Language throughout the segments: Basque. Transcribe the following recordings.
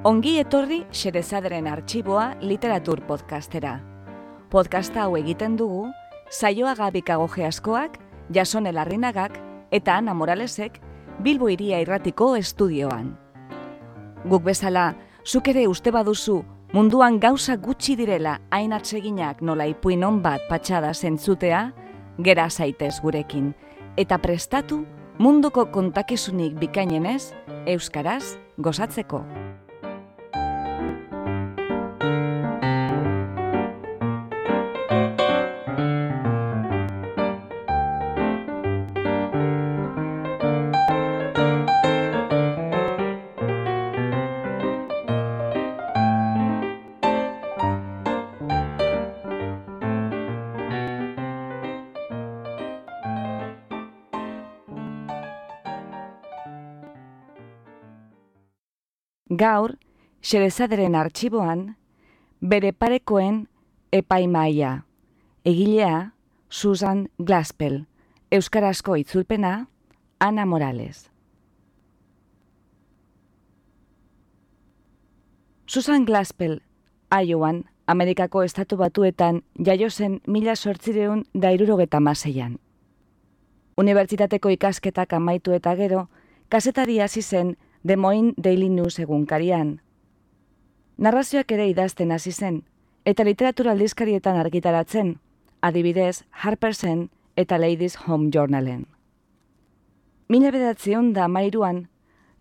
Ongi etorri Xerezaderen Artxiboa literatur podcastera. Podcasta hau egiten dugu Saioa Gabikago Geaskoak, Jasone Larrinagak eta Ana Moralesek Bilbo Hiria Irratiko estudioan. Guk bezala, zuk ere uste baduzu munduan gauza gutxi direla hain atseginak nola ipuin on bat patxada zentzutea, gera zaitez gurekin, eta prestatu munduko kontakizunik bikainenez, euskaraz gozatzeko. Gaur, Xerezaderen Artxiboan, Bere parekoen epaimahaia. Egilea, Susan Glaspell. Euskarazko itzulpena, Ana Morales. Susan Glaspell, Iowan, Amerikako Estatu Batuetan jaio zen 1876an. Unibertsitateko ikasketak amaitu eta gero, kazetari hasi zen Des Moines Daily News egunkarian. Narrazioak ere idazten hasi zen, eta literatura aldizkarietan argitaratzen, adibidez Harpersen eta Ladies' Home Journalen. 1913an,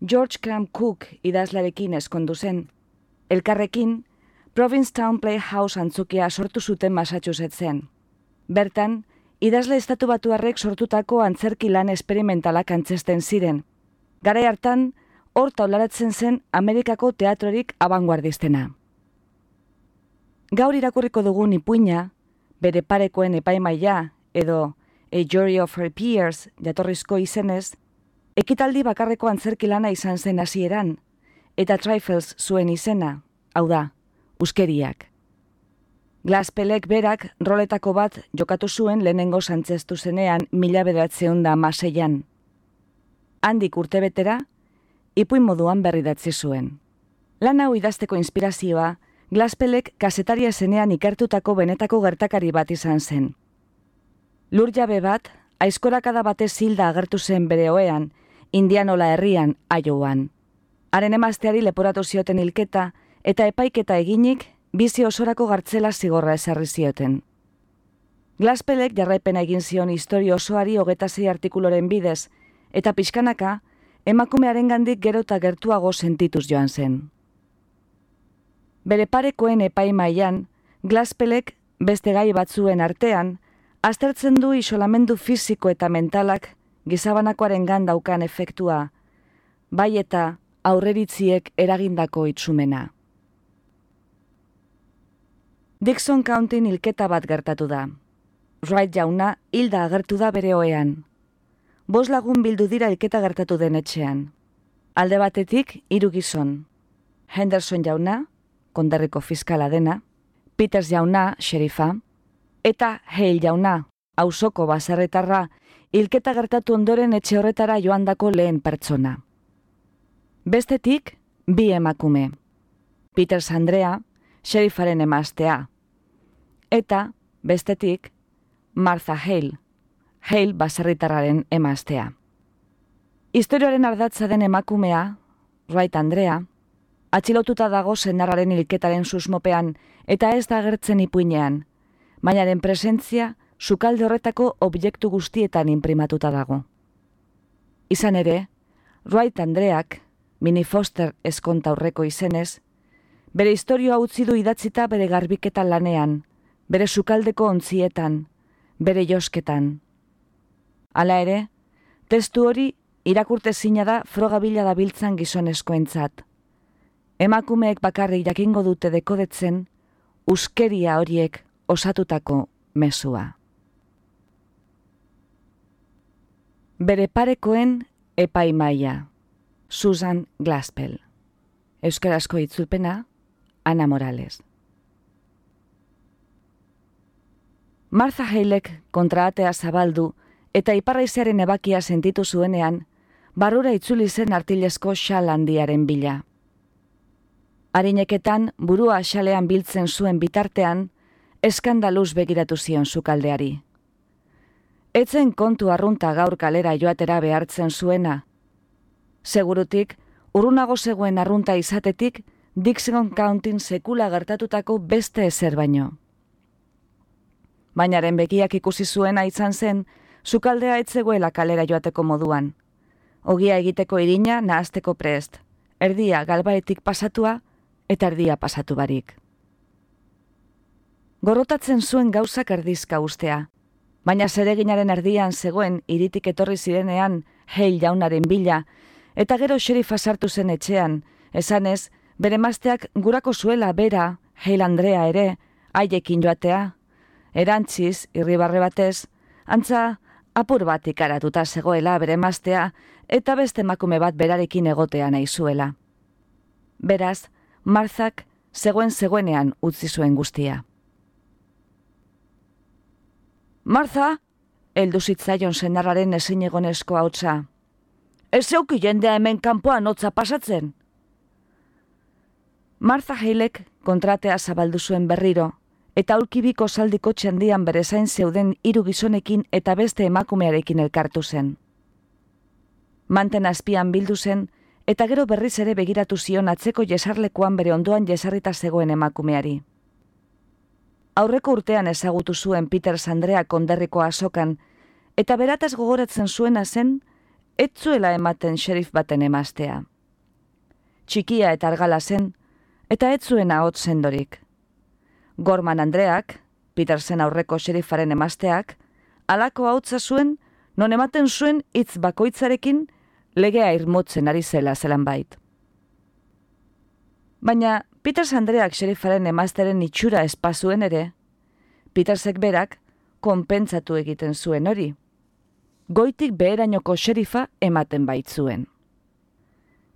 George Cram Cook idazlarekin ezkondu zen. Elkarrekin, Provincetown Playhouse antzokia sortu zuten Massachusettsen. Bertan, idazle estatubatuarrek sortutako antzerki lan esperimentalak antzesten ziren. Garai hartan, hor taularatzen zen Amerikako teatrorik abanguardistena. Gaur irakurriko dugun ipuina, Bere parekoen epaimahaia edo A Jury of Her Peers jatorrizko izenez, ekitaldi bakarreko antzerki lana izan zen hasieran, eta Trifles zuen izena, hau da, uskeriak. Glaspellek berak roletako bat jokatu zuen lehenengo antzestu zenean 1916an. Handik urtebetera, ipuin moduan berridatzi zuen. Lan hau idazteko inspirazioa, Glaspellek kazetaria zenean ikertutako benetako gertakari bat izan zen. Lur jabe bat, aizkorakada batez hilda agertu zen bere ohean, Indianola herrian, Iowan. Haren emazteari leporatu zioten hilketa, eta epaiketa eginik, bizi osorako gartzela zigorra ezarri zioten. Glaspellek jarraipena egin zion istorio osoari 26 artikuloren bidez, eta pixkanaka, emakumearengandik gero eta gertuago sentituz joan zen. Bere parekoen epaimahaian, Glaspellek beste gai batzuen artean, aztertzen du isolamendu fisiko eta mentalak gizabanakoarengan daukan efektua, bai eta aurreritziek eragindako itzumena. Dixon Countyn hilketa bat gertatu da. Wright jauna hilda agertu da bere ohean. 5 lagun bildu dira hilketa gertatu den etxean. Alde batetik 3 gizon. Henderson jauna, konderriko fiskala dena, Peters jauna, xerifa, eta Hale jauna, auzoko baserritarra, hilketa gertatu ondoren etxe horretara joandako lehen pertsona. Bestetik, 2 emakume. Peters Andrea, xerifaren emaztea. Eta, bestetik, Martha Hale, Hale baserritarraren emaztea. Historioaren ardatza den emakumea, Wright Andrea, atxilotuta dago senarraren hilketaren susmopean eta ez da agertzen ipuinean, bainaren presentzia sukalde horretako objektu guztietan inprimatuta dago. Izan ere, Wright Andreak, Minnie Foster ezkontaurreko izenez, bere historioa utzi du idatzita bere garbiketan lanean, bere sukaldeko ontzietan, bere josketan. Hala ere, testu hori irakurtezina da frogabila dabiltzan gizonezkoentzat. Emakumeek bakarrik jakingo dute dekodetzen uskeria horiek osatutako mezua. Bere parekoen epaimahaia. Susan Glaspell. Euskarazko itzulpena, Ana Morales. Martha Halek kontraatea zabaldu eta iparraizearen ebakia sentitu zuenean, barrura itzuli zen artilezko xal handiaren bila. Arineketan burua xalean biltzen zuen bitartean, eskandaluz begiratu zion sukaldeari. Etzen kontu arrunta gaur kalera joatera behartzen zuena. Segurutik, urrunago zegoen arrunta izatetik, Dixon Countin sekula gertatutako beste ezer baino. Bainaren begiak ikusi zuena izan zen, sukaldea etzegoela kalera joateko moduan. Ogia egiteko irina nahasteko prest, erdia galbaetik pasatua eta erdia pasatu barik. Gorrotatzen zuen gauzak erdizka ustea, baina zereginaren erdian zegoen hiritik etorri zirenean Hale jaunaren bila, eta gero xerifa sartu zen etxean, esanez, bere emazteak gurako zuela bera, Hale Andrea ere, haiekin joatea. Erantziz, irribarre batez, antza apur bat ikaratuta zegoela bere emaztea eta beste emakume bat berarekin egotea nahi zuela. Beraz, Marthak zegoenean utzi zuen guztia. Martha, heldu zitzaion senarraren ezinegonezko hautsa. Ez zeuki jendea hemen kanpoan hotza pasatzen. Martha Halek kontratea zabaldu zuen berriro, eta aulkibiko zaldikotxe handian bere zain zeuden 3 gizonekin eta beste emakumearekin elkartu zen. Manten azpian bildu zen, eta gero berriz ere begiratu zion atzeko jesarlekuan bere ondoan jesarrita zegoen emakumeari. Aurreko urtean ezagutu zuen Peters Andrea konderriko azokan, eta berataz gogoratzen zuena zen, ez zuela ematen xerif baten emaztea. Txikia eta argala zen, eta ez zuen ahots sendorik. Gorman Andreak, Petersen aurreko xerifaren emazteak, halako ahotsa zuen, non ematen zuen hitz bakoitzarekin legea irmotzen ari zela zelanbait. Baina Peters Andreak xerifaren emazteren itxura espazuen ere, Petersek berak konpentsatu egiten zuen hori. Goitik beherainoko xerifa ematen baitzuen.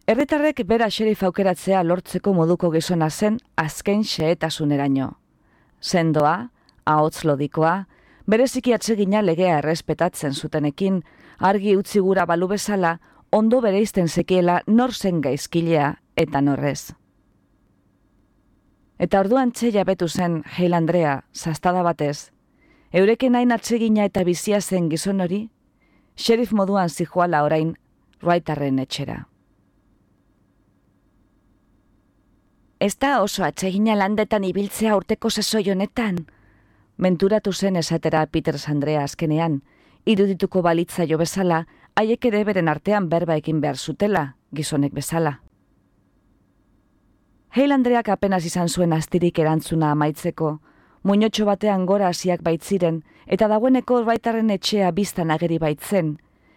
Herritarrek bera xerifa aukeratzea lortzeko moduko gizona zen azken xehetasunerano. Sendoa, ahots lodikoa, bereziki atsegina legea errespetatzen zutenekin, argi utzi gura balu bezala, ondo bereizten zekiela nor zen gaizkilea eta norrez. Eta orduan jabetu zen Hale Andrea, zastada batez, eureken hain atsegina eta bizia zen gizon hori, xerif moduan zijoala orain Wrightarren etxera. Ez da oso atsegina landetan ibiltzea urteko sasoi honetan, menturatu zen esatera Peters Andrea azkenean, irudituko balitza jo bezala, haiek ere beren artean berba egin behar zutela, gizonek bezala. Hale Andreak apenas izan zuen astirik erantzuna amaitzeko, muinotxo batean gora hasiak baitziren, eta dagoeneko Wrightarren etxea biztan ageri baitzen,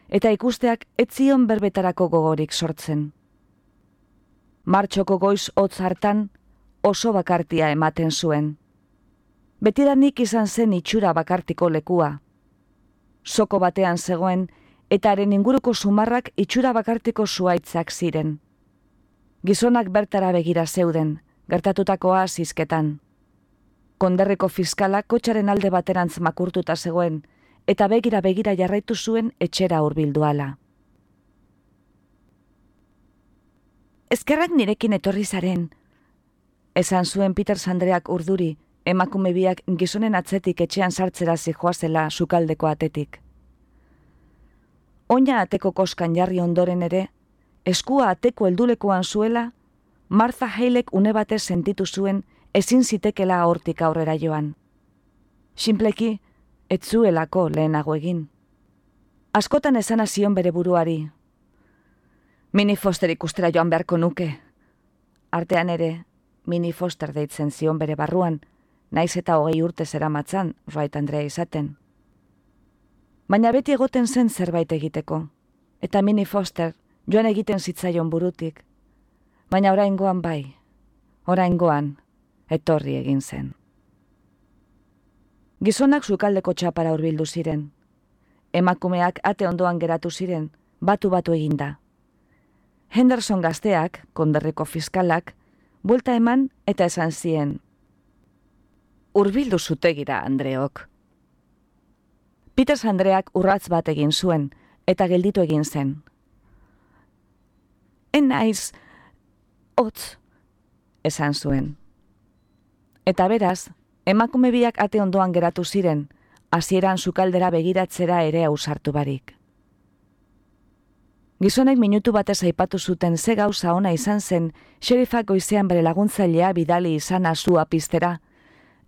eta ikusteak ez zion berbetarako gogorik sortzen. Martxoko goiz hotz hartan oso bakartia ematen zuen. Betidanik izan zen itxura bakartiko lekua. Soko batean zegoen, eta haren inguruko sumarrak itxura bakartiko zuaitzak ziren. Gizonak bertara begira zeuden, gertatutakoa zizketan. Konderriko fiskalak kotxaren alde baterantz makurtuta zegoen, eta begira jarraitu zuen etxera hurbilduala. Eskerrak nirekin etorri zaren, esan zuen Peters Andreak urduri, emakume biak gizonen atzetik etxean sartzera zijoazela sukaldeko atetik. Oina ateko koskan jarri ondoren ere, eskua ateko heldulekoan zuela, Martha Halek une batez sentitu zuen ezin zitekela hortik aurrera joan. Sinpleki, ez zuelako lehenago egin. Askotan esana zion bere buruari. Minnie Foster ikustera joan beharko nuke. Artean ere, Minnie Foster deitzen zion bere barruan, naiz eta 20 urte zeramatzan Wright Andrea izaten. Baina beti egoten zen zerbait egiteko, eta Minnie Foster joan egiten zitzaion burutik, baina oraingoan bai, oraingoan etorri egin zen. Gizonak sukaldeko txapara hurbildu ziren. Emakumeak ate ondoan geratu ziren, batu eginda. Henderson gazteak, konderriko fiskalak, buelta eman eta esan zien. Hurbildu zutegira, Andreok. Peters Andreak urratz bat egin zuen, eta gelditu egin zen. Enaiz, hotz, esan zuen. Eta beraz, emakume biak ate ondoan geratu ziren, hasieran sukaldera begiratzera ere ausartu barik. Gizonek minutu batez aipatu zuten ze gauza ona izan zen xerifak goizean bere laguntzailea bidali izana sua piztera,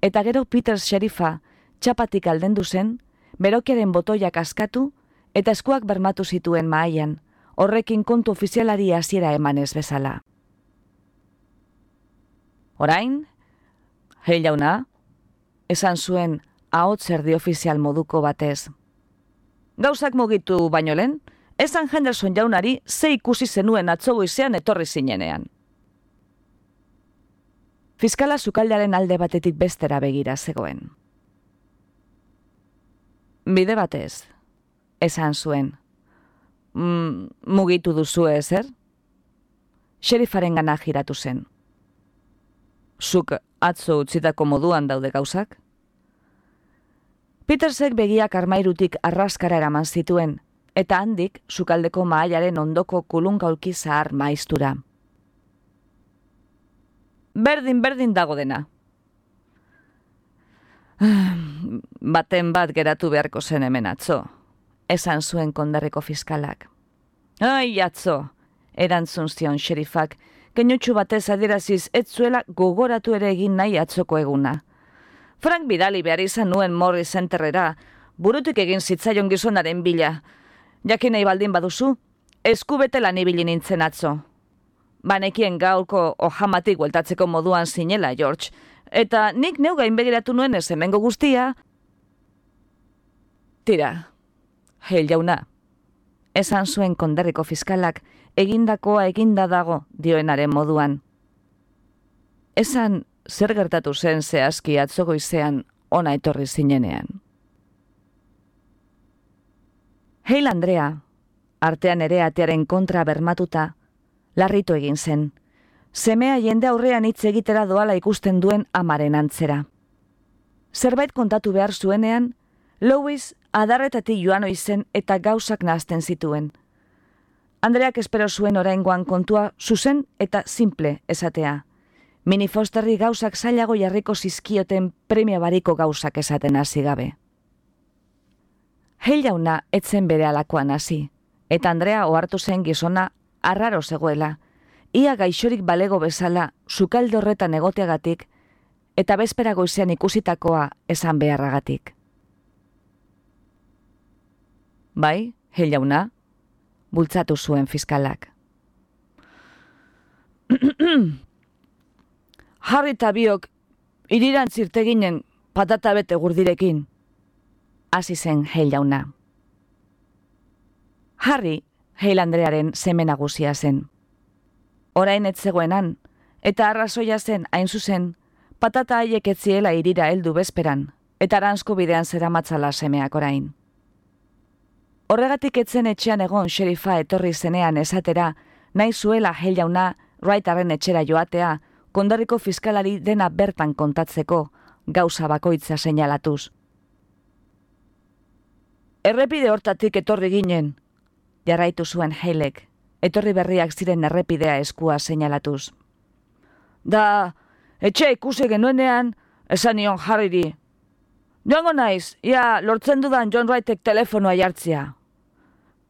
eta gero Peter xerifa txapatik aldendu zen, berokiaren botoiak askatu eta eskuak bermatu zituen mahaian, horrekin kontu ofizialari hasiera emanez bezala. Orain, Hale jauna, esan zuen ahots erdi ofizial moduko batez. Gauzak mugitu baino lehen, esan Henderson jaunari ze ikusi zenuen atzo goizean etorri zinenean. Fiskala sukaldearen alde batetik bestera begira zegoen. Bide batez, esan zuen. Mugitu duzu ezer? Xerifaren gana jiratu zen. Zuk atzo utzitako moduan daude gauzak? Petersek begiak armairutik arraskara eraman zituen, eta handik sukaldeko mahailaren ondoko kulungaulki zahar maiztura. Berdin dago dena. Baten bat geratu beharko zen hemen atzo, esan zuen konderriko fiskalak. Ai, atzo, erantzun zion xerifak, keinutxu batez adieraziz ez zuela gogoratu ere egin nahi atzoko eguna. Frank bidali behar izan nuen Morris Centerrera, burutik egin zitzaion gizonaren bila. Jakin nahi baldin baduzu, eskubete lan ibili nintzen atzo. Banekien gaurko ojamatik bueltatzeko moduan zinela, George, eta nik neu gainbegiratu nuen ez hemengo guztia. Tira, Hale jauna, esan zuen konderriko fiskalak egindakoa eginda dago dioenaren moduan. Esan zer gertatu zen zehazki atzo goizean ona etorri zinenean. Hale Andrea, artean ere atearen kontra bermatuta, larritu egin zen. Semea jende aurrean hitz egitera doala ikusten duen amaren antzera. Zerbait kontatu behar zuenean, Louis adarretatik joan oizen eta gauzak nahazten zituen. Andreak espero zuen oraingoan kontua zuzen eta simple esatea. Minnie Fosterri gauzak zailago jarriko zizkioten premia bariko gauzak esaten hasi gabe. Hale jauna etzen bere alakoan hasi, eta Andrea ohartu zen gizona arraro zegoela, ia gaixorik balego bezala sukalde horretan egoteagatik eta bezpera goizean ikusitakoa esan beharragatik. Bai, Hale jauna, bultzatu zuen fiskalak. Harry eta biok irirantzirte ginen patata bete gurdirekin, hasi zen Hale jauna. Harry, Hale Andrearen seme nagusia zen. Orain ez zegoenan, eta arrazoia zen hain zuzen, patata haiek ez ziela irira heldu bezperan, eta aranzko bidean zeramatzala semeak orain. Horregatik etzen etxean egon xerifa etorri zenean esatera, nahi zuela Hale jauna Wrightarren etxera joatea, konderriko fiskalari dena bertan kontatzeko, gauza bakoitza seinalatuz. Errepide hortatik etorri ginen, jarraitu zuen Halek, etorri berriak ziren errepidea eskua seinalatuz. Da, etxe ikusi genuenean, esan nion Harryri. Joango naiz, ia lortzen dudan John Wrightek telefonoa jartzea.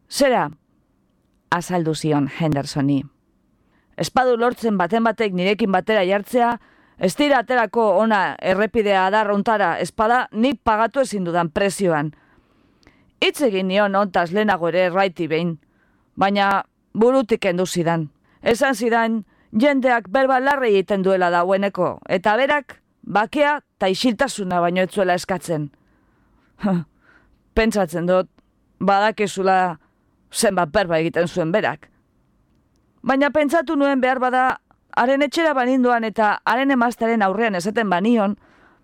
Zera, azaldu zion Hendersoni. Espadu lortzen baten batek nirekin batera jartzea, ez dira aterako ona errepidea adarrontara espada nik pagatu ezin dudan prezioan. Hitz egin nion ontaz lehenago ere Wrighti behin, baina burutik kendu zidan. Esan zidan, jendeak berba larri egiten duela daueneko, eta berak bakea eta isiltasuna baino ez zuela eskatzen. Pentsatzen dut, badakezula zenbat berba egiten zuen berak. Baina pentsatu nuen behar bada, haren etxera baninduan eta haren emaztaren aurrean esaten banion,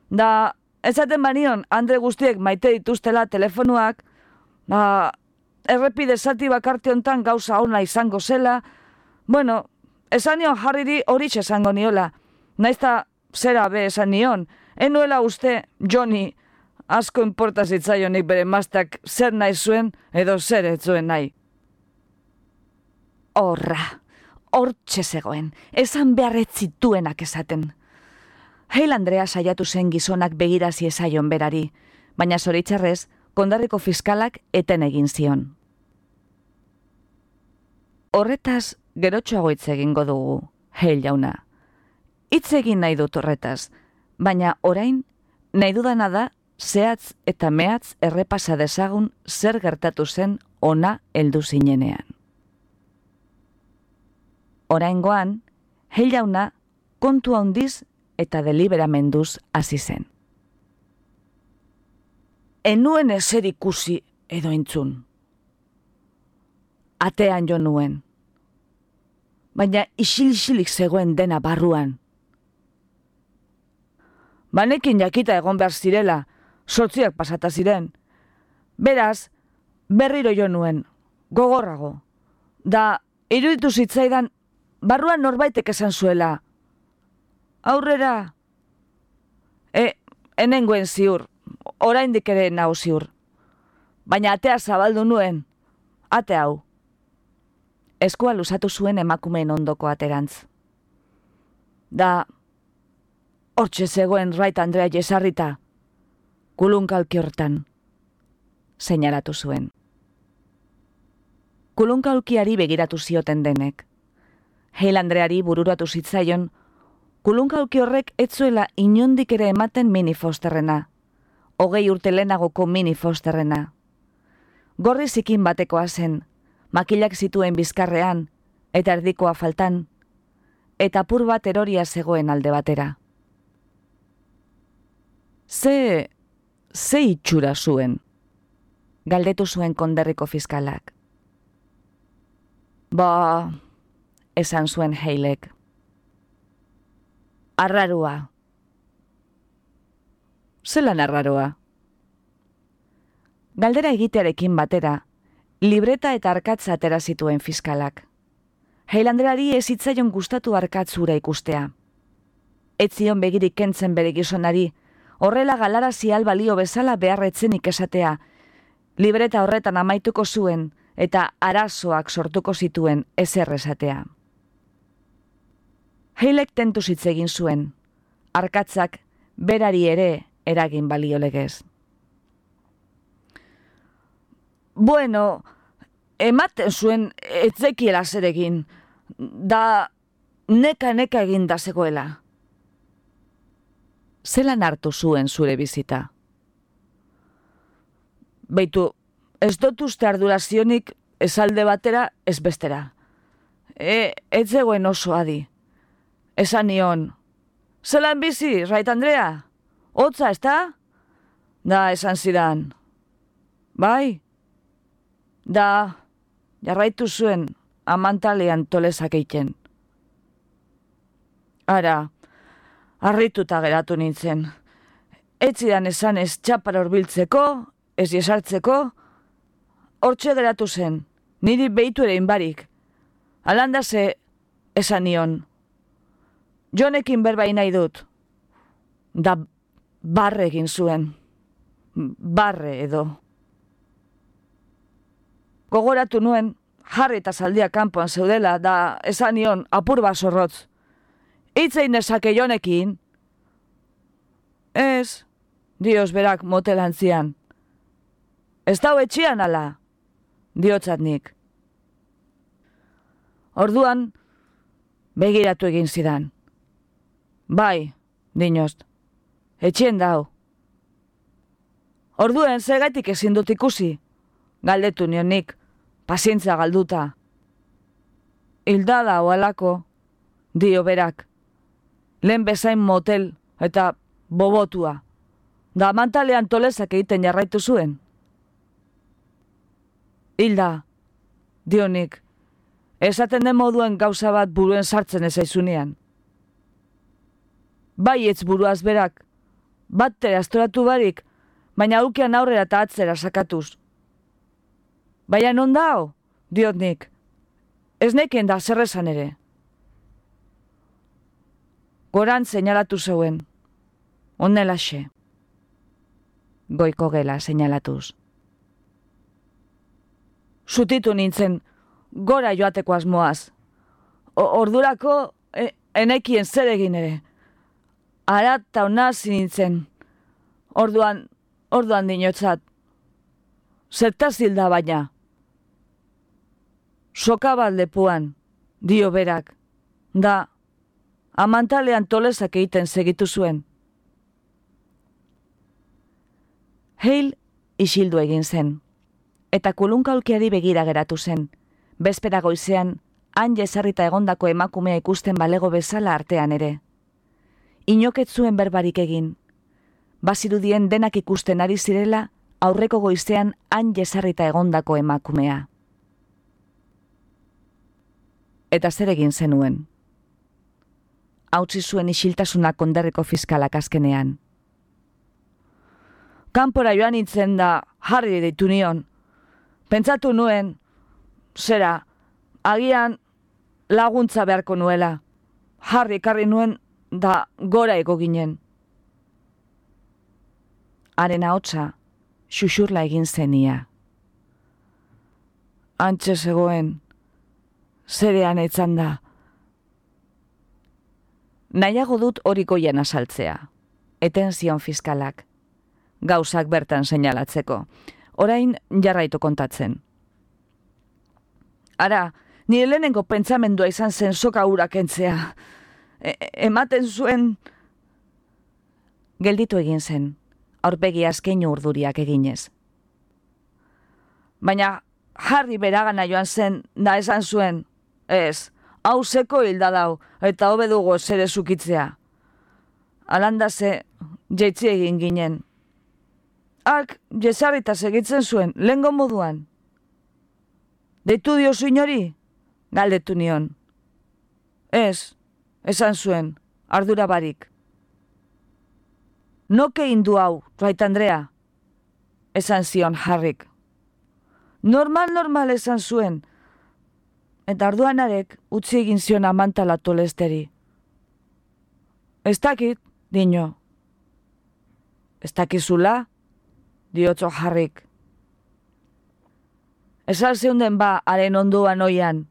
da esaten banion Andre guztiek maite dituztela telefonuak, errepide zati bakarte hontan gauza ona izango zela, bueno, esan nion Harryri horitxe esango niola, naizta zera be esan nion, enuela uste Johnny asko inporta zitzaionik bere emazteak zer nahi zuen edo zer ez zuen nahi. hortxe zegoen, esan beharret zituenak esaten. Hale Andrea saiatu zen gizonak begirazi ezaion berari, baina zoritxarrez, kondarriko fiskalak eten egin zion. Horretaz, gerotxoago hitz egingo dugu, Hale jauna. Hitz egin nahi dut horretaz, baina orain, nahi dudana da, zehatz eta mehatz errepasa dezagun zer gertatu zen ona heldu zinenean. Oraingoan, Hale jauna kontu handiz eta deliberamenduz hasi zen. Enuen ezer ikusi edo entzun. Atean jo nuen. Baina isil-isilik zegoen dena barruan. Banekin jakita egon behar zirela, 8 pasata ziren. Beraz, berriro jo nuen, gogorrago. Da, iruditu zitzaidan, barruan norbaitek esan zuela. Aurrera. Enengoen ziur, oraindik ere nau ziur. Baina atea zabaldu nuen, ate hau. Eskua luzatu zuen emakumeen ondoko aterantz. Da, hortxe zegoen Wright Andrea jesarrita, kulunkalki hortan, seinalatu zuen. Kulunkalkiari begiratu zioten denek. Hale Andreari bururatu zitzaion, kulunkalki horrek ez zuela inondik ere ematen Minnie Fosterrena, 20 urte lehenagoko Minnie Fosterrena. Gorri zikin batekoa zen, makilak zituen bizkarrean, eta erdikoa faltan, eta apur bat eroria zegoen alde batera. Ze itxura zuen, galdetu zuen konderriko fiskalak. Ba, esan zuen Halek. Arrarua. Zelan arraroa? Galdera egitearekin batera, libreta eta arkatza atera zituen fiskalak. Hale Andreari ez zitzaion gustatu arkatzura ikustea. Ez zion begirik kentzen bere gizonari, horrela galarazi balio bezala beharretzenik esatea, libreta horretan amaituko zuen eta arazoak sortuko zituen ezer esatea. Halek tentu hitz egin zuen, arkatzak berari ere eragin balio legez. Bueno, ematen zuen etzekiela zer egin, da neka egin da zegoela. Zelan hartu zuen zure bizita? Beitu, ez dut uste ardurazionik ez alde batera ez bestera. Ez zegoen oso adi. Esan nion, zelan bizi, Wright Andrea? Hotza, ezta? Da, esan zidan. Bai? Da, jarraitu zuen amantalean tolesak egiten. Ara, harrituta geratu nintzen. Ez zidan esan ez txapara horbiltzeko, ez jesartzeko, hortxe geratu zen, niri behitu ere inbarik. Alandase esan nion. Jonekin berbai nahi dut. Da barre egin zuen. Barre edo. Gogoratu nuen, jarri eta zaldia kanpoan zeudela, da esan nion apur bat zorrotz. Itzein nezake Jonekin? Ez, dioz berak motelantzian. Ez dau etxian ala, diotzat nik. Orduan, begiratu egin zidan. Bai, dinozt, etxien dau. Orduen, zegaitik ezin dut ikusi, galdetu nion nik, pazientzia galduta. Hilda da oalako, dio berak. Lehen bezain motel eta bobotua. Da mantalean tolesak egiten jarraitu zuen. Hilda, dio nik, esaten den moduen gauza bat buruen sartzen ezaizunean. Bai etz buruaz berak, batere astoratu barik, baina aukean aurrera eta atzera sakatuz. Baina non dao, diot nik, ez nekien da zerrezan ere. Goran seinalatu zeuen, onelaxe. Goiko gela seinalatuz. Zutitu nintzen, gora joateko asmoaz. ordurako enekien zer egin ere. Arat eta ona zinintzen. Orduan dinotzat. Zertaz hilda baina. Soka bat lepuan, dio berak. Da, amantalean tolesak egiten segitu zuen. Hale isildu egin zen, eta kulunkaulkiari begira geratu zen. Bezpera goizean, han jesarrita egondako emakumea ikusten balego bezala artean ere. Inoket zuen berbarik egin. Bazirudien denak ikusten ari zirela, aurreko goizean han jesarrita egondako emakumea. Eta zer egin zenuen? Hautsi zuen isiltasuna konderriko fiskalak azkenean. Kanpora joan nintzen da Harry deitu nion. Pentsatu nuen, zera, agian laguntza beharko nuela. Harry ekarri nuen da gora ego ginen. Haren ahotsa xuxurla egin zenia. Antxe zegoen, zerean etzan da. Nahiago dut hori goian asaltzea, eten zion fiskalak. Gauzak bertan seinalatzeko. Orain jarraitu kontatzen. Ara, nire lehenengo pentsamendua izan zen soka hura kentzea. Ematen zuen... Gelditu egin zen, aurpegi azkeinu urduriak eginez. Baina Harry beragana joan zen, da esan zuen, ez, hau zeko hilda dau, eta hobe dugu zere zukitzea. Alandase, jaitzi egin ginen. Hark, jesarrita segitzen zuen, lehengo moduan. Deitu diozu inori? Galdetu nion. Ez, esan zuen, ardura barik. Noke indu hau, Wright Andrea? Esan zion Harryk. Normal esan zuen. Eta arduanarek utzi egin zion amantala tolesteri. Ez dakit, dino. Ez dakizula? Diotzo Harryk. Esan zeunden ba, haren onduan oian.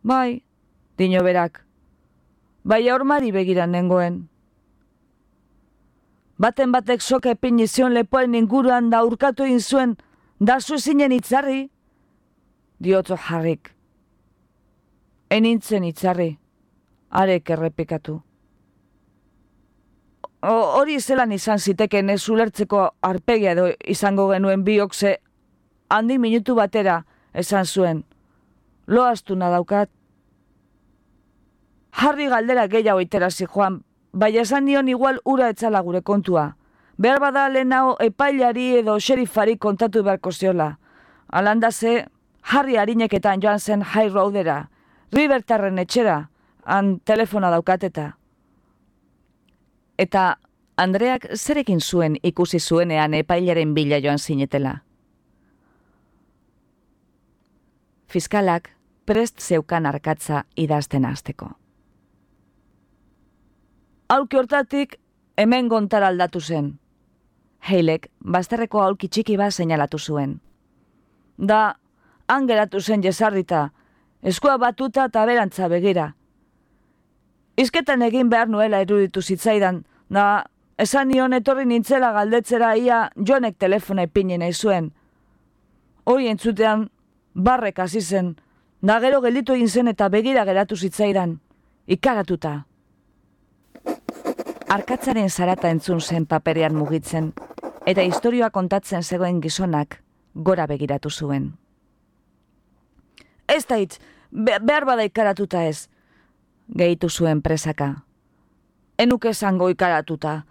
Bai, dino berak. Bai aurmari begiran nengoen. Baten batek soka epini zion lepoaren inguruan da urkatu egin zuen, da zu ezinen itzarri? Diotzo Harryk. Enintzen itzarri, arek errepikatu. Hori zelan izan ziteken ez ulertzeko arpegia edo izango genuen biok ze handi minutu batera esan zuen. Loaztuna daukat. Harry galdera gehiago iterazi joan, bai esan nion igual ura etzala gure kontua. Behar bada lehenao epailari edo xerifari kontatu beharko ziola. Alandase, Harry harineketan joan zen High Roadera, Rivertarren etxera, han telefona daukateta. Eta Andreak zerekin zuen ikusi zuenean epailaren bila joan zinetela. Fiskalak prest zeukan arkatza idazten hasteko. Aulki hortatik hemen gontara aldatu zen. Halek bazterreko aulki txiki bat seinalatu zuen. Da, han geratu zen jesarrita, eskua batuta eta berantza begira. Izketan egin behar nuela iruditu zitzaidan, da, esan nion etorri nintzela galdetzera ia Jonek telefona ipini nahi zuen. Hoi entzutean, barrek hasi zen, da gero gelditu egin zen eta begira geratu zitzaidan, ikaratuta. Arkatzaren zarata entzun zen paperean mugitzen, eta istorioa kontatzen zegoen gizonak gora begiratu zuen. Ez da hitz, behar bada ikaratuta ez, gehitu zuen presaka. Enuk esango ikaratuta.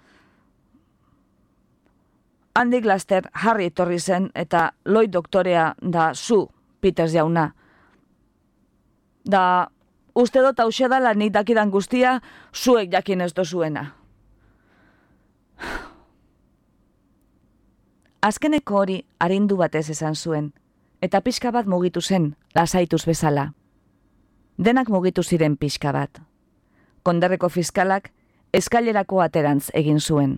Handik laster Harry etorri zen eta Lloyd doktorea da zu, Peters jauna. Da, uste dut hauxe dala nik dakidan guztia, zuek jakin ez dozuena. Azkeneko hori arindu batez esan zuen, eta pixka bat mugitu zen, lasaituz bezala. Denak mugitu ziren pixka bat. Konderreko fiskalak eskailerako aterantz egin zuen.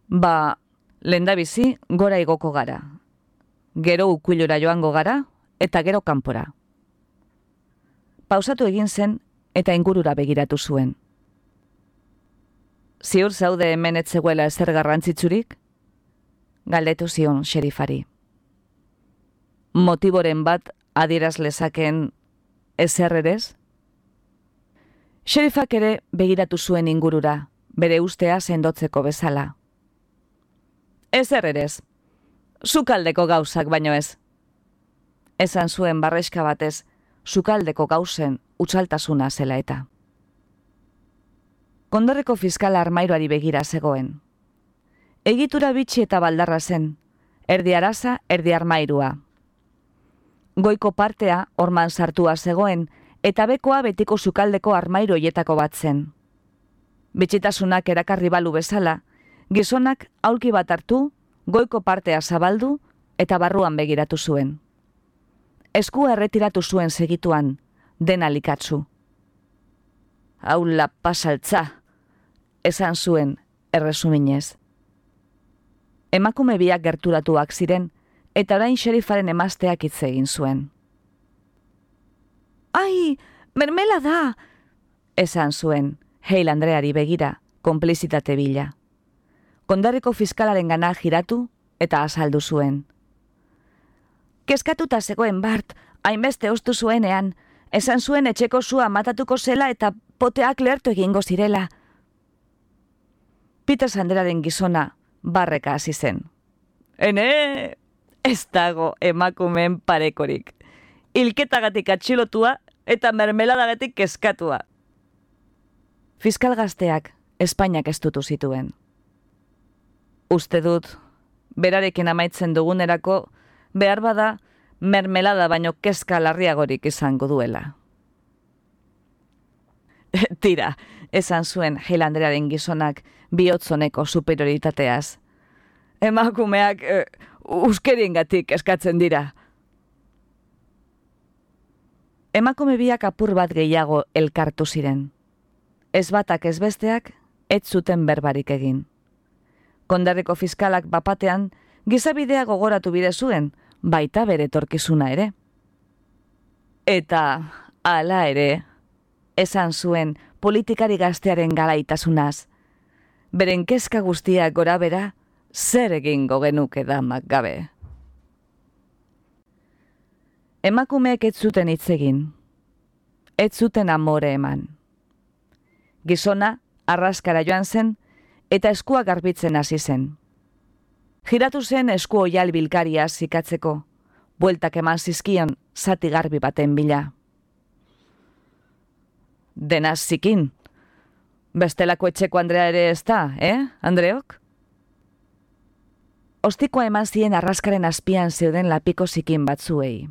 Ba, lehendabizi gora igoko gara. Gero ukuilora joango gara, eta gero kanpora. Pausatu egin zen, eta ingurura begiratu zuen. Ziur zaude hemen ez zegoela ezer garrantzitsurik? Galdetu zion xerifari. Motiboren bat adieraz lezaken ezer erez? Xerifak ere begiratu zuen ingurura, bere ustea sendotzeko bezala. Ezer erez, sukaldeko gauzak baino ez. Esan zuen barreska batez, sukaldeko gauzen utxaltasuna zela eta. Konderreko fiskala armairoari begira zegoen. Egitura bitxi eta baldarra zen, erdi araza, erdi armairua. Goiko partea orman sartua zegoen, eta bekoa betiko sukaldeko armairoietako bat zen. Bitxitasunak erakarri balu bezala, gizonak aulki bat hartu, goiko partea zabaldu eta barruan begiratu zuen. Eskua erretiratu zuen segituan, dena likatzu. Aula pasaltza, esan zuen erresuminez. Emakume biak gerturatuak ziren, eta orain xerifaren emazteak hitz egin zuen. Ai, mermela da, esan zuen, Hale Andreari begira, konplizitate bila. Kondarriko fiskalaren gana giratu eta azaldu zuen. Kezkatuta zegoen Bart, hainbeste ostu zuenean, esan zuen etxeko sua matatuko zela eta poteak lehertu egingo zirela. Peter Sanderaren gizona barreka hasi zen. Ene, ez dago emakumeen parekorik. Hilketagatik atxilotua eta mermeladagatik kezkatua. Fiskal gazteak Espainiak estutu zituen. Uste dut, berarekin amaitzen dugunerako, behar bada mermelada baino kezka larriagorik izango duela. Tira, esan zuen Hale Andrearen gizonak bihotzoneko superioritateaz. Emakumeak uskeriengatik eskatzen dira. Emakume biak apur bat gehiago elkartu ziren. Ez batak ez besteak, ez zuten berbarik egin. Kondarriko fiskalak bapatean, gizabidea gogoratu bide zuen, baita bere etorkizuna ere. Eta, hala ere, esan zuen politikari gaztearen galaitasunaz. Beren kezka guztiak gora bera, zer egingo genuke damak gabe. Emakumeek ez zuten hitz egin. Ez zuten amore eman. Gizona arraskara joan zen eta eskua garbitzen hasi zen. Giratu zen esku oial bilkaria zikatzeko, bueltak eman zizkion zati garbi baten bila. Denaz zikin. Bestelako etxeko Andrea ere ez da, Andreok? Ostikoa eman zien arraskaren azpian zeuden lapiko zikin batzuei.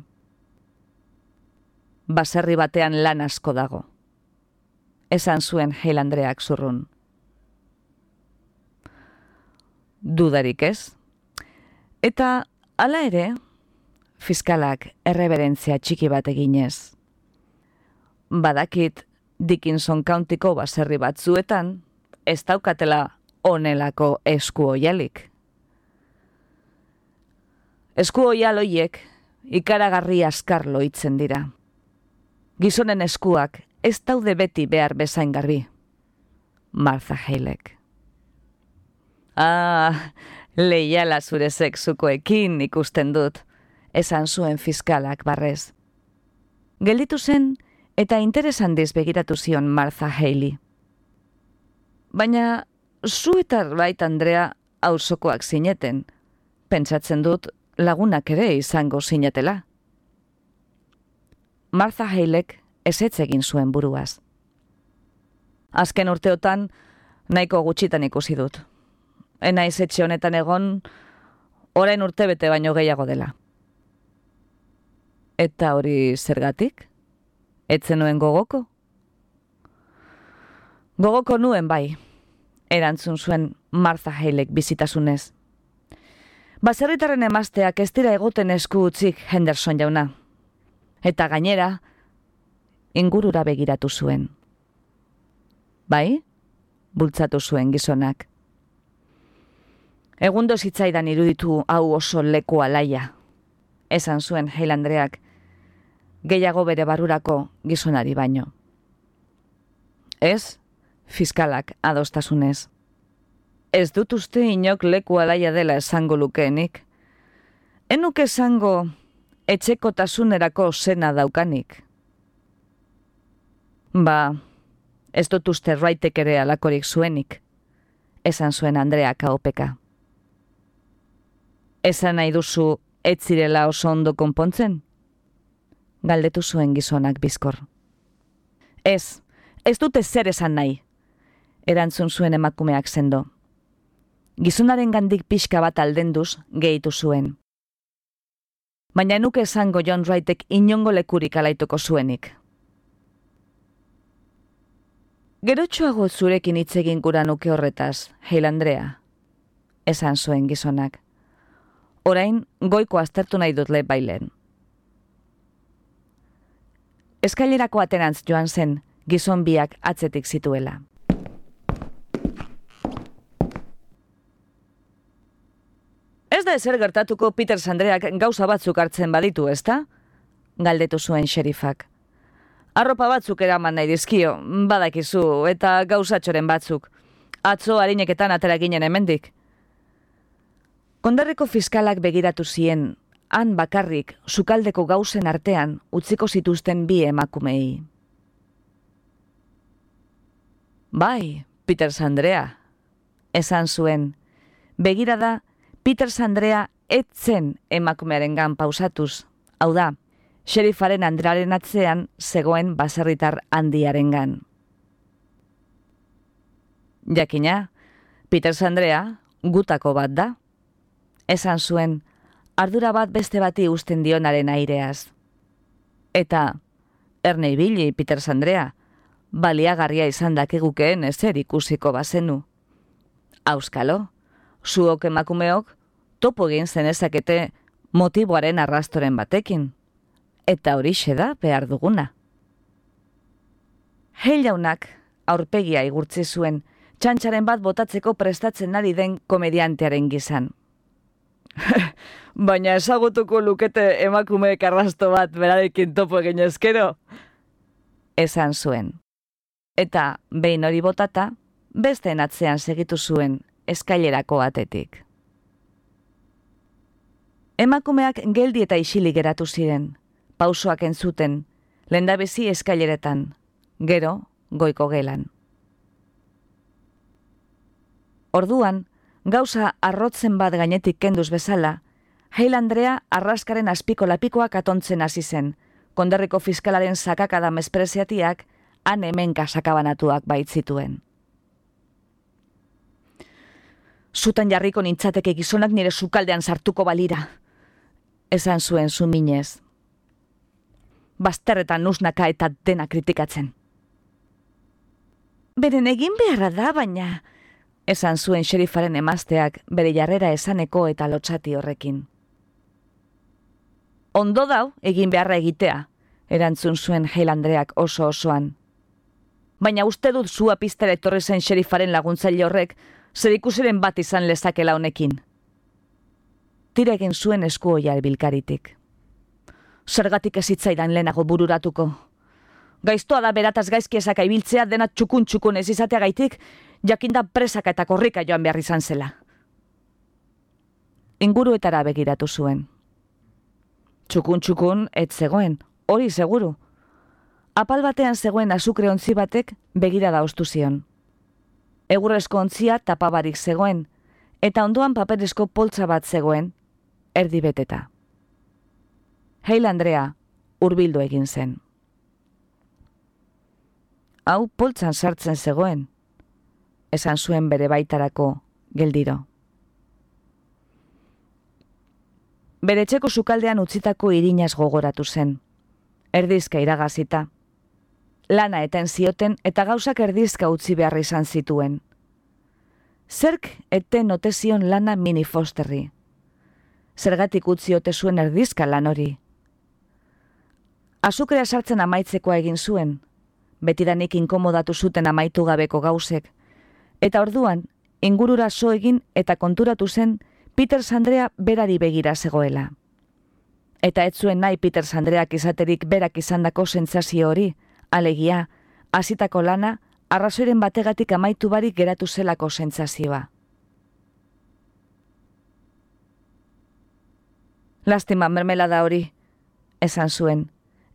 Baserri batean lan asko dago. Esan zuen Hale Andreak zurrun. Dudarik ez. Eta, hala ere, fiskalak erreberentzia txiki bat eginez. Badakit Dickinson Countyko baserri batzuetan, ez daukatela onelako esku oialik. Esku oial hoiek ikaragarri askar loitzen dira. Gizonen eskuak ez daude beti behar bezain garbi. Martha Halek. Leiala zure sexukoekin ikusten dut, esan zuen fiskalak barrez. Gelditu zen eta interes handiz begiratu zion Martha Haley. Baina, zu eta Wright Andrea auzokoak zineten, pentsatzen dut lagunak ere izango zinetela. Martha Halek ezetz egin zuen buruaz. Azken urteotan nahiko gutxitan ikusi dut. Enaiz etxe honetan egon, orain urtebete baino gehiago dela. Eta hori zergatik? Etzen nuen gogoko? Gogoko nuen bai, erantzun zuen Martha Halek bizitasunez. Baserritarren emazteak ez dira egoten esku utzik Henderson jauna. Eta gainera, ingurura begiratu zuen. Bai? Bultzatu zuen gizonak. Egundo zitzaidan iruditu hau oso leku alaia. esan zuen Hale Andreak, gehiago bere barurako gizonari baino. Ez, fiskalak adostasunez. Ez dut uste inok leku alaia dela esango lukeenik. Enuk esango etxekotasunerako zena daukanik. Ba, ez dut uste Wrightek ere alakorik zuenik, esan zuen Andreak ahopeka. Esan nahi duzu ez zirela oso ondo konpontzen? Galdetu zuen gizonak bizkor. Ez dute zer esan nahi, erantzun zuen emakumeak sendo. Gizonaren gandik pixka bat aldenduz gehitu zuen. Baina nuke esango John Wrightek inongo lekurik alaituko zuenik. Gerotxoago zurekin hitz egin gura nuke horretaz, Hale Andrea, esan zuen gizonak. Orain goiko aztertu nahi dut bailen. Eskailerako aterantz joan zen, gizon biak atzetik zituela. Ez da ezer gertatuko Peters Andreak gauza batzuk hartzen baditu, ezta? Galdetu zuen xerifak. Arropa batzuk eraman nahi dizkio, badakizu, eta gauzatxoren batzuk. Atzo harineketan atera ginen hemendik. Konderriko fiskalak begiratu zien, han bakarrik, sukaldeko gauzen artean, utziko zituzten bi emakumei. Bai, Peters Andrea, esan zuen. Begirada, Peters Andrea etzen emakumearengan pausatuz. Hau da, xerifaren Andrearen atzean zegoen baserritar handiarengan. Jakina, Peters Andrea gutako bat da. Esan zuen, ardura bat beste bati uzten dionaren aireaz. Eta, erne ibili, Peters Andrea, baliagarria izan dakegukeen ezer ikusiko bazenu. Auskalo, zuok emakumeok, topo egin zenezakete motiboaren arrastoren batekin. Eta horixe da behar duguna. Hale jaunak aurpegia igurtzi zuen, txantxaren bat botatzeko prestatzen ari den komediantearen gizan. Baina ezagutuko lukete emakumeek arrasto bat berarekin topo egin ezkero? Esan zuen. Eta behin hori botata, besteen atzean segitu zuen eskailerako atetik. Emakumeak geldi eta isilik geratu ziren, pausoak entzuten, lehendabizi eskaileretan, gero goiko gelan. Orduan, gauza arrotzen bat gainetik kenduz bezala, Hale Andrea arraskaren azpiko lapikoak atontzen hasi zen, konderriko fiskalaren sakakada mespreziatiak han hemenka sakabanatuak baitzituen. Zutan jarriko nintzateke gizonak nire sukaldean sartuko balira, esan zuen zuminez. Bazterretan nusnaka eta dena kritikatzen. Beren egin beharra da, baina, esan zuen xerifaren emazteak bere jarrera esaneko eta lotsati horrekin. Ondo dau egin beharra egitea, erantzun zuen Hale Andreak oso-osoan. Baina uste dut zua piztera etorri zen xerifaren laguntzaile horrek zer ikusiren bat izan lezakela honekin. Tira egin zuen eskuoia bilkaritik. Zergatik ez hitzaidan lehenago bururatuko. Gaiztoa da berataz gaizki esaka ibiltzea dena txukun ez izateagaitik, jakinda presaka eta korrika joan behar izan zela. Inguruetara begiratu zuen. Txukun ez zegoen, hori seguru. Apal batean zegoen azukre ontzi batek begirada ostu zion. Egurrezko ontzia tapabarik zegoen, eta ondoan paperezko poltsa bat zegoen, erdi beteta. Hale Andrea hurbildu egin zen. Hau poltsan sartzen zegoen, esan zuen bere baitarako geldiro. Bere etxeko sukaldean utzitako irinaz gogoratu zen. Erdizka iragazita. Lana eten zioten eta gauzak erdizka utzi beharra izan zituen. Zerk eten ote zion lana Minnie Fosterri. Zergatik utzi ote zuen erdizka lan hori. Azukrea sartzen amaitzekoa egin zuen, betidanik inkomodatu zuten amaitu gabeko gauzek, eta orduan, ingurura so egin eta konturatu zen Peters Andrea berari begira zegoela. Eta ez zuen nahi Peters Andreak izaterik berak izandako sentsazio hori, alegia, hasitako lana, arrazoiren bategatik amaitu barik geratu zelako sentsazioa. Lastima mermelada hori, esan zuen,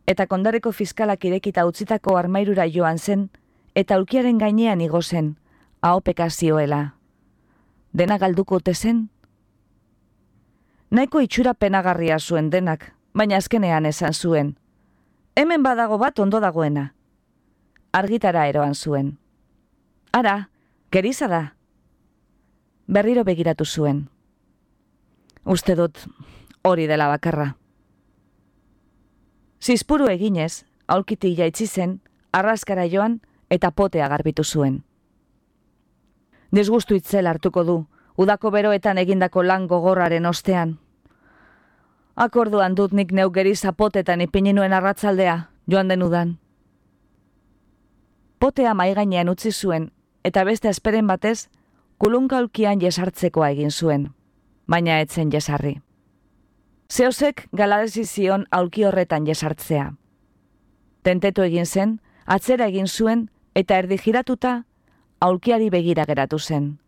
eta kondareko fiskalak irekita utzitako armairura joan zen, eta aulkiaren gainean igo zen, ahopeka zioela. Dena galduko ote zen? Nahiko itxura penagarria zuen denak, baina azkenean esan zuen. Hemen badago bat ondo dagoena. Argitara eroan zuen. Ara, geriza da. Berriro begiratu zuen. Uste dut, hori dela bakarra. Zizpuru eginez, aulkiti jaitsi zen, arraskara joan eta potea garbitu zuen. Disgustu itzel hartuko du, udako beroetan egindako lan gogorraren ostean. Akorduan dut nik neu geriza potetan ipini nuen arratzaldea, joan den udan. Potea maigainean utzi zuen, eta beste esperen batez, kulunka aulkian jesartzekoa egin zuen, baina etzen jesarri. Zeozek galadezi zion aulki horretan jesartzea. Tentetu egin zen, atzera egin zuen, eta erdi giratuta, aulkiari begira geratu zen.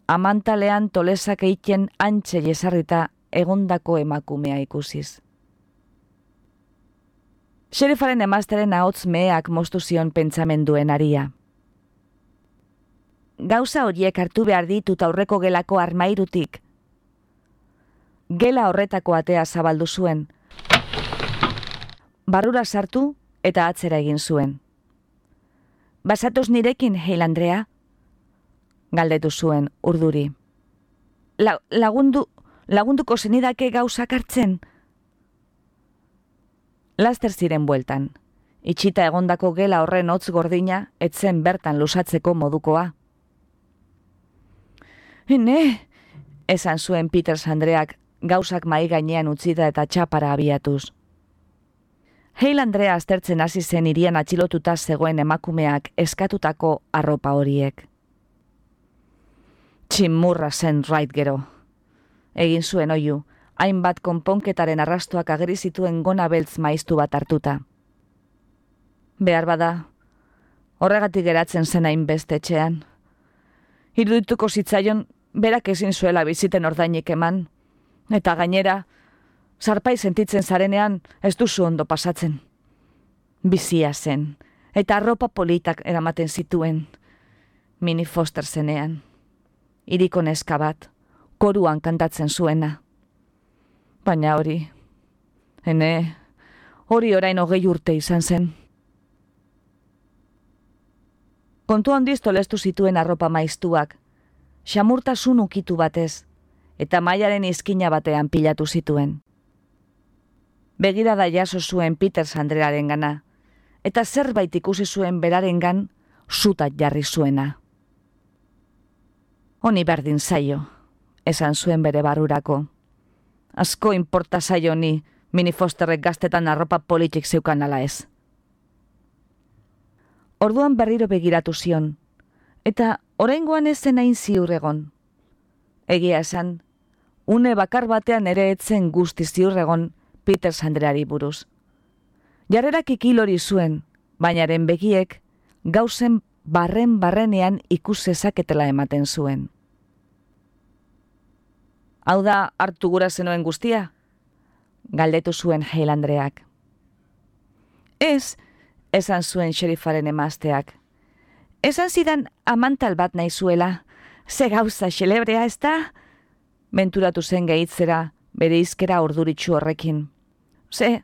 Amantalean tolesak eiken antxe jesarrita egondako emakumea ikusiz. Xerifaren emazteren ahots meheak moztu zion pentsamenduen aria. Gauza horiek hartu behar ditut aurreko gelako armairutik. Gela horretako atea zabaldu zuen. Barrura sartu eta atzera egin zuen. Basatoz nirekin, Hale Andrea? Galdetu zuen urduri. Lagunduko zenidake gauzak hartzen? Laster ziren bueltan. Itxita egondako gela horren hotz gordina, etzen bertan lusatzeko modukoa. Ene, esan zuen Peters Andreak gauzak mai gainean utzita eta txapara abiatuz. Hale Andrea aztertzen hasi zen hirian atxilotuta zegoen emakumeak eskatutako arropa horiek. Tximurra zen Wright gero. Egin zuen oihu, hainbat konponketaren arrastoak ageri zituen gona beltz maiztu bat hartuta. Behar bada, horregatik geratzen zen hainbeste etxean. Irudituko zitzaion, berak ezin zuela biziten ordainik eman, eta gainera, zarpai sentitzen zarenean ez duzu ondo pasatzen. Bizia zen, eta arropa politak eramaten zituen. Minnie Foster zenean. Hiriko neska bat, koruan kantatzen zuena. Baina hori, hori orain 20 urte izan zen. Kontu handiz tolestu zituen arropa maiztuak, xamurtasun ukitu batez, eta mailaren izkina batean pilatu zituen. Begirada jaso zuen Peters Andrearen gana, eta zerbait ikusi zuen berarengan zutat jarri zuena. Honi berdin zaio, esan zuen bere barurako. Asko inporta zaio ni, Minnie Fosterrek gaztetan arropa politik zeukan ala ez. Orduan berriro begiratu zion, eta oraingoan ez zen hain ziur egon. Egia esan, une bakar batean ere etzen guzti ziur egon Peters Andreari buruz. Jarrerak ikilori zuen, bainaren begiek gauzen barrenean ikus zezaketela ematen zuen. Hau da hartu gura zenuen guztia? Galdetu zuen Hale Andreak. Ez, esan zuen xerifaren emazteak. Esan zidan amantal bat nahi zuela. Ze gauza xelebrea ez da? Menturatu zen gehitzera, bere izkera orduritsu horrekin. Ze,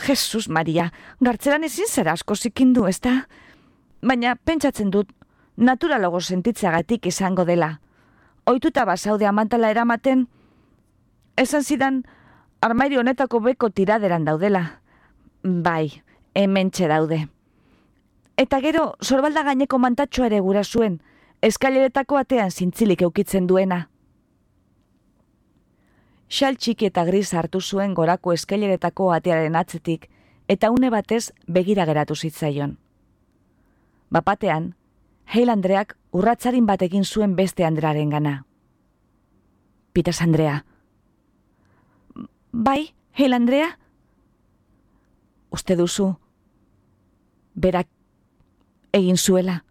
Jesus Maria, gartzeran ezin zera asko zikindu, ez da? Baina pentsatzen dut, naturalogo sentitzeagatik izango dela. Ohituta bazaude amantala eramaten, esan zidan armairi honetako beko tiraderan daudela. Bai, hementxe daude. Eta gero, sorbalda gaineko mantatxoa ere gura zuen, eskaileretako atean zintzilik eukitzen duena. Xal txiki eta gris hartu zuen gorako eskaileretako atearen atzetik, eta une batez begira geratu zitzaion. Bapatean, Hale Andreak urratzarin bat egin zuen beste Andrearen gana. Peters Andrea. Bai, Hale Andrea? Uste duzu, berak egin zuela.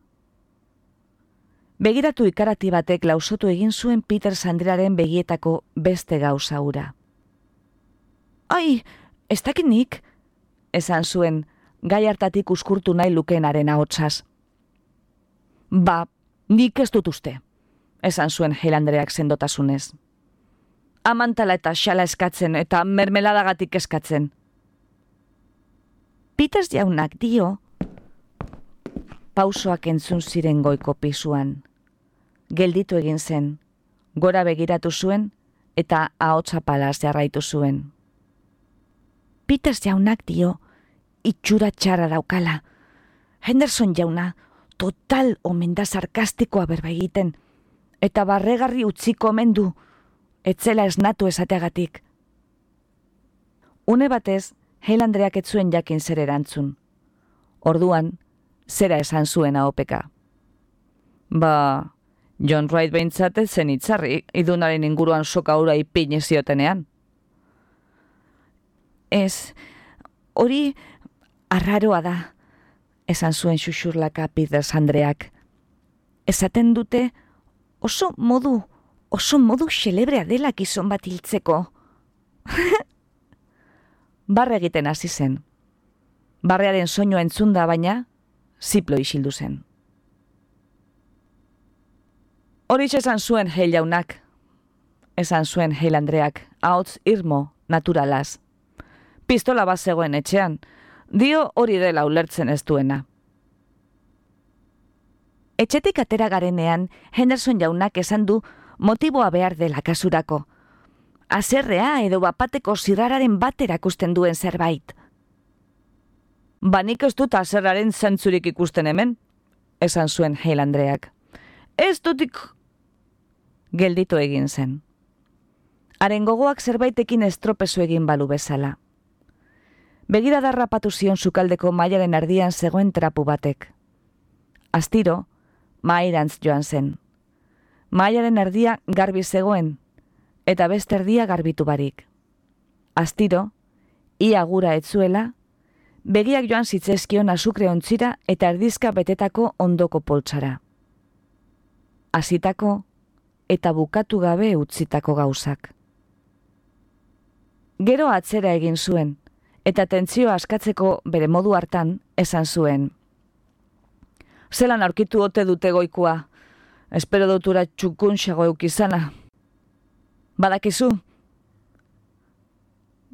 Begiratu ikarati batek lausotu egin zuen Peter Andrearen begietako beste gauza hura. Ai, ez dakit nik, esan zuen, gai hartatik uskurtu nahi lukeenaren ahotsaz. Ba, nik ez dut uste, esan zuen Hale Andreak sendotasunez. Amantala eta xala eskatzen eta mermeladagatik eskatzen. Peters jaunak dio, pausoak entzun ziren goiko pisuan. Gelditu egin zen, gora begiratu zuen eta ahotsa palaz jarraitu zuen. Peters jaunak dio, itxura txarra daukala. Henderson jauna, total omen da sarkastikoa berba egiten, eta barregarri utziko omen du, etzela esnatu esateagatik. Une batez, Hale Andreak ez zuen jakin zer erantzun. Orduan, zera esan zuen ahopeka. Ba, John Wright behintzat ez zen itzarri, idunaren inguruan soka hura ipini ziotenean. Ez, hori arraroa da, esan zuen xuxurlaka Peters Andreak. Esaten dute oso modu xelebrea dela gizon bat hiltzeko. Barre egiten hasi zen. Barrearen soinua entzunda baina, ziplo isildu zen. Horixe esan zuen Hale jaunak, esan zuen Hale Andreak, ahots irmo, naturalaz. Pistola bat zegoen etxean, dio hori dela ulertzen ez duena. Etxetik atera garenean, Henderson jaunak esan du motiboa behar dela kasurako. Haserrea edo bapateko zirrararen bat erakusten duen zerbait. Ba nik ez dut haserraren zentzurik ikusten hemen, esan zuen Hale Andreak. Ez dutik gelditu egin zen. Haren gogoak zerbaitekin estropezu egin balu bezala. Begirada rapatu zion sukaldeko mailaren erdian zegoen trapu batek. Astiro, mahairantz joan zen. Mailaren erdia garbi zegoen, eta beste erdia garbitu barik. Astiro, ia gura etzuela, begiak joan zitzezkion azukre ontzira eta erdizka betetako ondoko poltsara. Hasitako eta bukatu gabe utzitako gauzak. Gero atzera egin zuen, eta tentzioa askatzeko bere modu hartan esan zuen. Zelan aurkitu ote dute goikua, espero dutura txukunxago eukizana. Badakizu?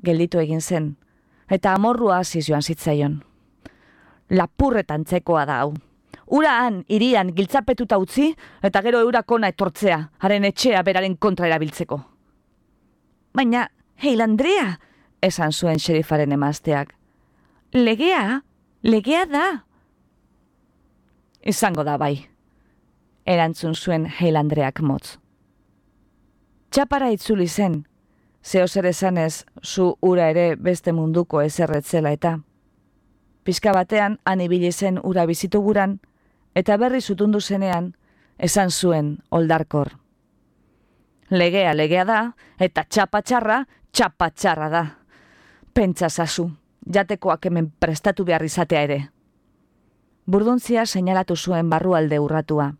Gelditu egin zen, eta amorrua hasi joan zitzaion. Lapurretantzekoa da hau. Ura han, irian, giltzapetuta utzi, eta gero eurakona etortzea, haren etxea beraren kontra erabiltzeko. Baina, Hale Andrea, esan zuen xerifaren emazteak. Legea da. Izango da bai, erantzun zuen Hale Andreak motz. Txapara itzuli zen, zehozer esanez zu ura ere beste munduko ezerretzela eta. Pizka batean han ibili zen ura bizitu guran, eta berri zutundu zenean esan zuen oldarkor. Legea da, eta txapa-txarra da. Pentsa zazu, jatekoak hemen prestatu behar izatea ere. Burduntzia seinalatu zuen barrualde urratua.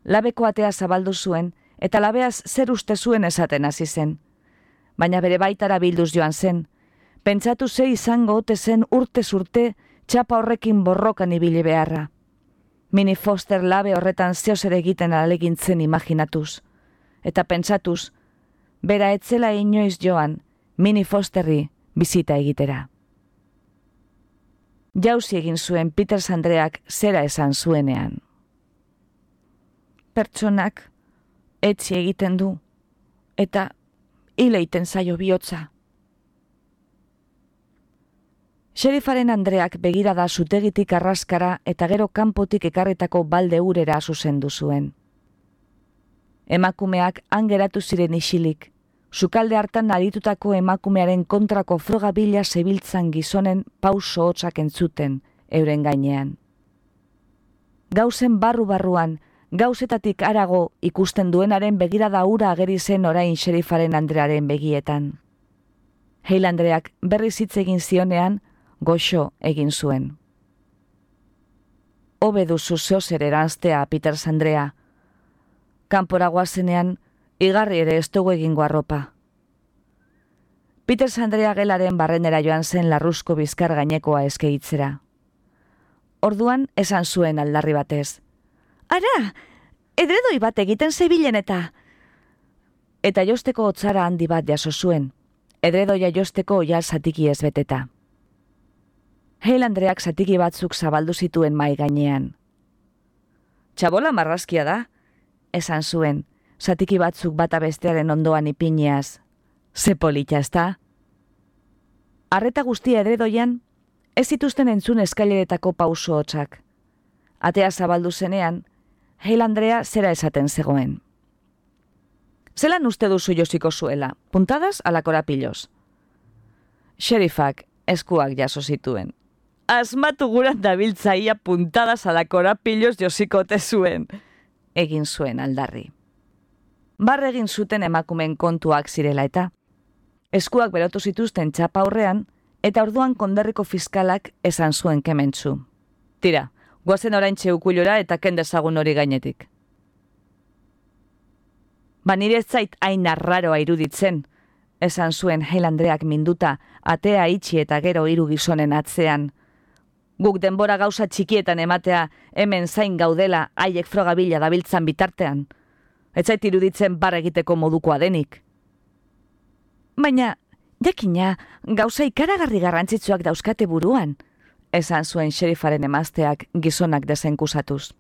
Labeko atea zabaldu zuen, eta labeaz zer uste zuen esaten hasi zen. Baina bere baitara bilduz joan zen. Pentsatu ze izango ote zen urtez urte txapa horrekin borrokan ibili beharra. Minnie Foster labe horretan zeozer egiten ahalegintzen imaginatuz. Eta pentsatuz, bera etzela inoiz joan Minnie Fosterri bizita egitera. Jauzi egin zuen Peters Andreak zera esan zuenean. Pertsonak etzi egiten du, eta hil egiten zaio bihotza. Xerifaren Andreak begirada zutegitik arraskara eta gero kanpotik ekarritako balde urera zuzendu zuen. Emakumeak han geratu ziren isilik, sukalde hartan aritutako emakumearen kontrako froga bila zebiltzan gizonen pauso hotzak entzuten euren gainean. Gauzen barru-barruan, gauzetatik harago ikusten duenaren begirada hura ageri zen orain xerifaren Andrearen begietan. Hale Andreak berriz hitz egin zionean, goxo egin zuen. Hobe duzu zeozer eranztea, Peters Andrea. Kanpora goazenean, igarri ere ez dugu egingo arropa. Peters Andrea gelaren barrenera joan zen larruzko bizkar gainekoa eskeitzera. Orduan esan zuen aldarri batez. Ara, edredoi bat egiten zebilen eta... Eta josteko hotzara handi bat jaso zuen, edredoia josteko oial zatiki ez beteta. Hale Andreak zatiki batzuk zabaldu zituen mai gainean. Txabola marrazkia da, esan zuen, zatiki batzuk bata bestearen ondoan ipineaz. Ze polita ezta? Arreta guztia edredoian, ez zituzten entzun eskaileretako pauso hotzak. Atea zabaldu zenean, Hale Andrea zera esaten zegoen. Zelan uste duzu josiko zuela, puntadas ala korapiloz? Sheriffak eskuak jaso zituen. Asmatu guran dabiltzaia puntadas ala korapiloz josikote zuen, egin zuen aldarri. Barre egin zuten emakumen kontuak zirela eta, eskuak berotu zituzten txapa aurrean, eta orduan konderriko fiskalak esan zuen kementzu. Tira, guazen oraintxe ukuilora eta kendezagun hori gainetik. Nire ez zait hain arraroa iruditzen, esan zuen Hale Andreak minduta, atea itxi eta gero hiru gizonen atzean. Guk denbora gauza txikietan ematea hemen zain gaudela haiek frogabila dabiltzan bitartean. Ez zait iruditzen bar egiteko modukoa denik. Baina, jakina, gauza ikaragarri garrantzitsuak dauzkate buruan, esan zuen sheriffaren emazteak gizonak desenkusatuz.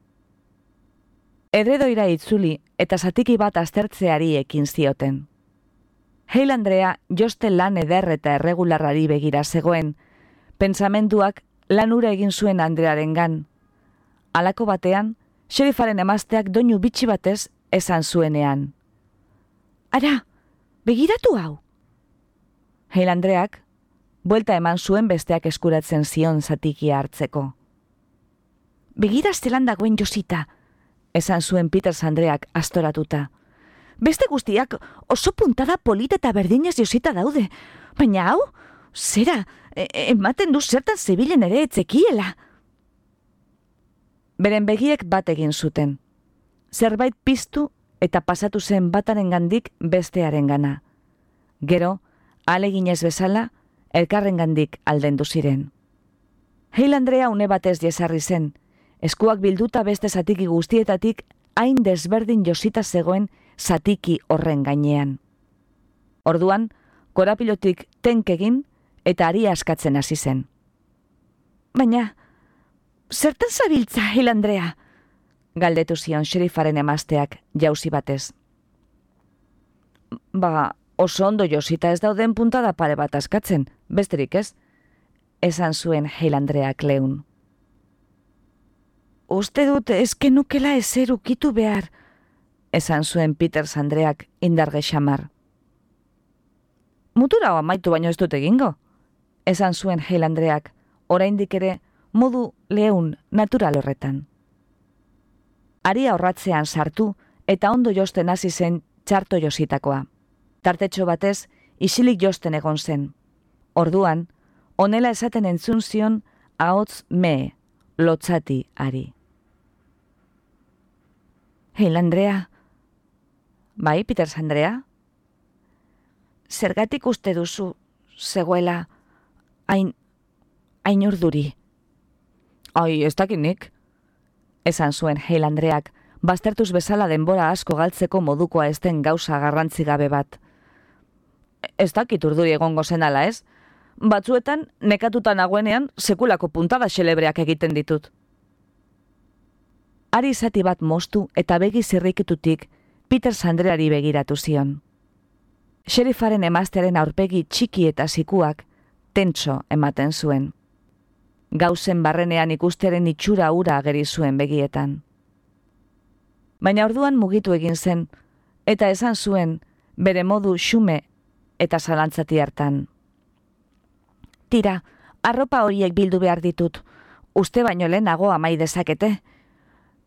Edredoira itzuli eta zatiki bat aztertzeari ekin zioten. Hale Andrea joste lan eder eta erregularrari begira zegoen, pentsamenduak lan ura egin zuen Andrearengan. Halako batean, sheriffaren emazteak doinu bitxi batez esan zuenean. Ara, begiratu hau! Hale Andreak, buelta eman zuen besteak eskuratzen zion zatikia hartzeko. Begira zelan dagoen Josita, esan zuen Peters Andreak astoratuta. Beste guztiak oso puntada polita eta berdinez Josita daude, baina hau, zera, ematen du zertan zebilen ere etzekiela. Beren begiek bat egin zuten. Zerbait piztu eta pasatu zen batarengandik bestearengana. Gero, ahaleginez bezala, elkarrengandik aldendu ziren. Hale Andrea une batez jesarri zen, eskuak bilduta beste zatiki guztietatik hain desberdin Josita zegoen zatiki horren gainean. Orduan, korapilotik tenkegin eta ari askatzen hasi zen. Baina, zertan zabiltza, Hale Andrea? Galdetu zion sheriffaren emazteak jauzi batez. Oso ondo Josita ez dauden puntada pare bat askatzen, besterik ez, esan zuen Hale Andreak leun. Uste dut eskenukela ezer ukitu behar, esan zuen Peters Andreak indarge xamar. Mutura amaitu baino ez dut egingo, esan zuen Hale Andreak, oraindik ere modu leun natural horretan. Aria horratzean sartu eta ondo josten hasi zen txarto Jositakoa. Tartetxo batez, isilik josten egon zen. Orduan, honela esaten entzun zion ahots mee, lotzati ari. Hale Andrea. Bai, Peters Andrea? Zergatik uste duzu, zegoela, hain urduri? Ai, ez dakinik, esan zuen Hale Andreak, baztertuz bezala denbora asko galtzeko modukoa ez den gauza garrantzi gabe bat. Ez dakit urduri egongo zen ala ez? Batzuetan, nekatuta nagoenean, sekulako puntada xelebreak egiten ditut. Ari zati bat moztu eta begi zirrikitutik Peters Andreari begiratu zion. Sheriffaren emaztearen aurpegi txiki eta zikuak tentso ematen zuen. Gauzen barrenean ikustearen itxura ura ageri zuen begietan. Baina orduan mugitu egin zen, eta esan zuen bere modu xume eta zalantzati hartan. Tira, arropa horiek bildu behar ditut, uste baino lehenago amai dezakete.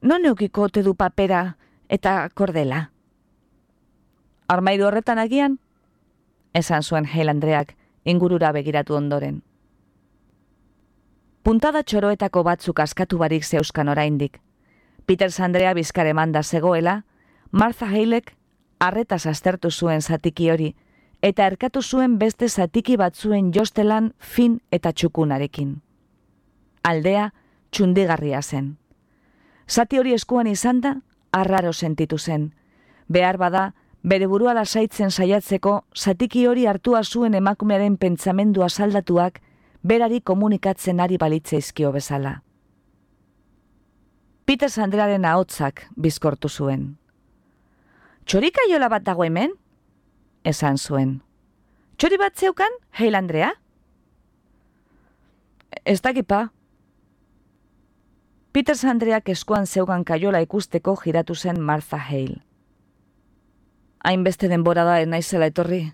Non eukiko ote du papera eta kordela? Armairu horretan agian? Esan zuen Hale Andreak ingurura begiratu ondoren. Puntada txoroetako batzuk askatu barik zeuskan oraindik. Peters Andrea bizkar emanda zegoela, Martha Halek arretaz aztertu zuen zatiki hori, eta erkatu zuen beste zatiki batzuen jostelan fin eta txukunarekin. Aldea txundigarria zen. Zati hori eskuan izan da, arraro sentitu zen. Behar bada, bere burua lasaitzen saiatzeko, zatiki hori hartua zuen emakumearen pentsamendu asaldatuak, berari komunikatzen ari balitzaizkio bezala. Peters Andrearen ahotsak bizkortu zuen. "Txorikaiola bat dago hemen?" esan zuen. "Txori bat zeukan, Hale Andrea?" "Ez dakipa." Peters Andreak eskuan zeukan kaiola ikusteko jiratu zen Martha Hale. "Hainbeste denbora da naizela etorri."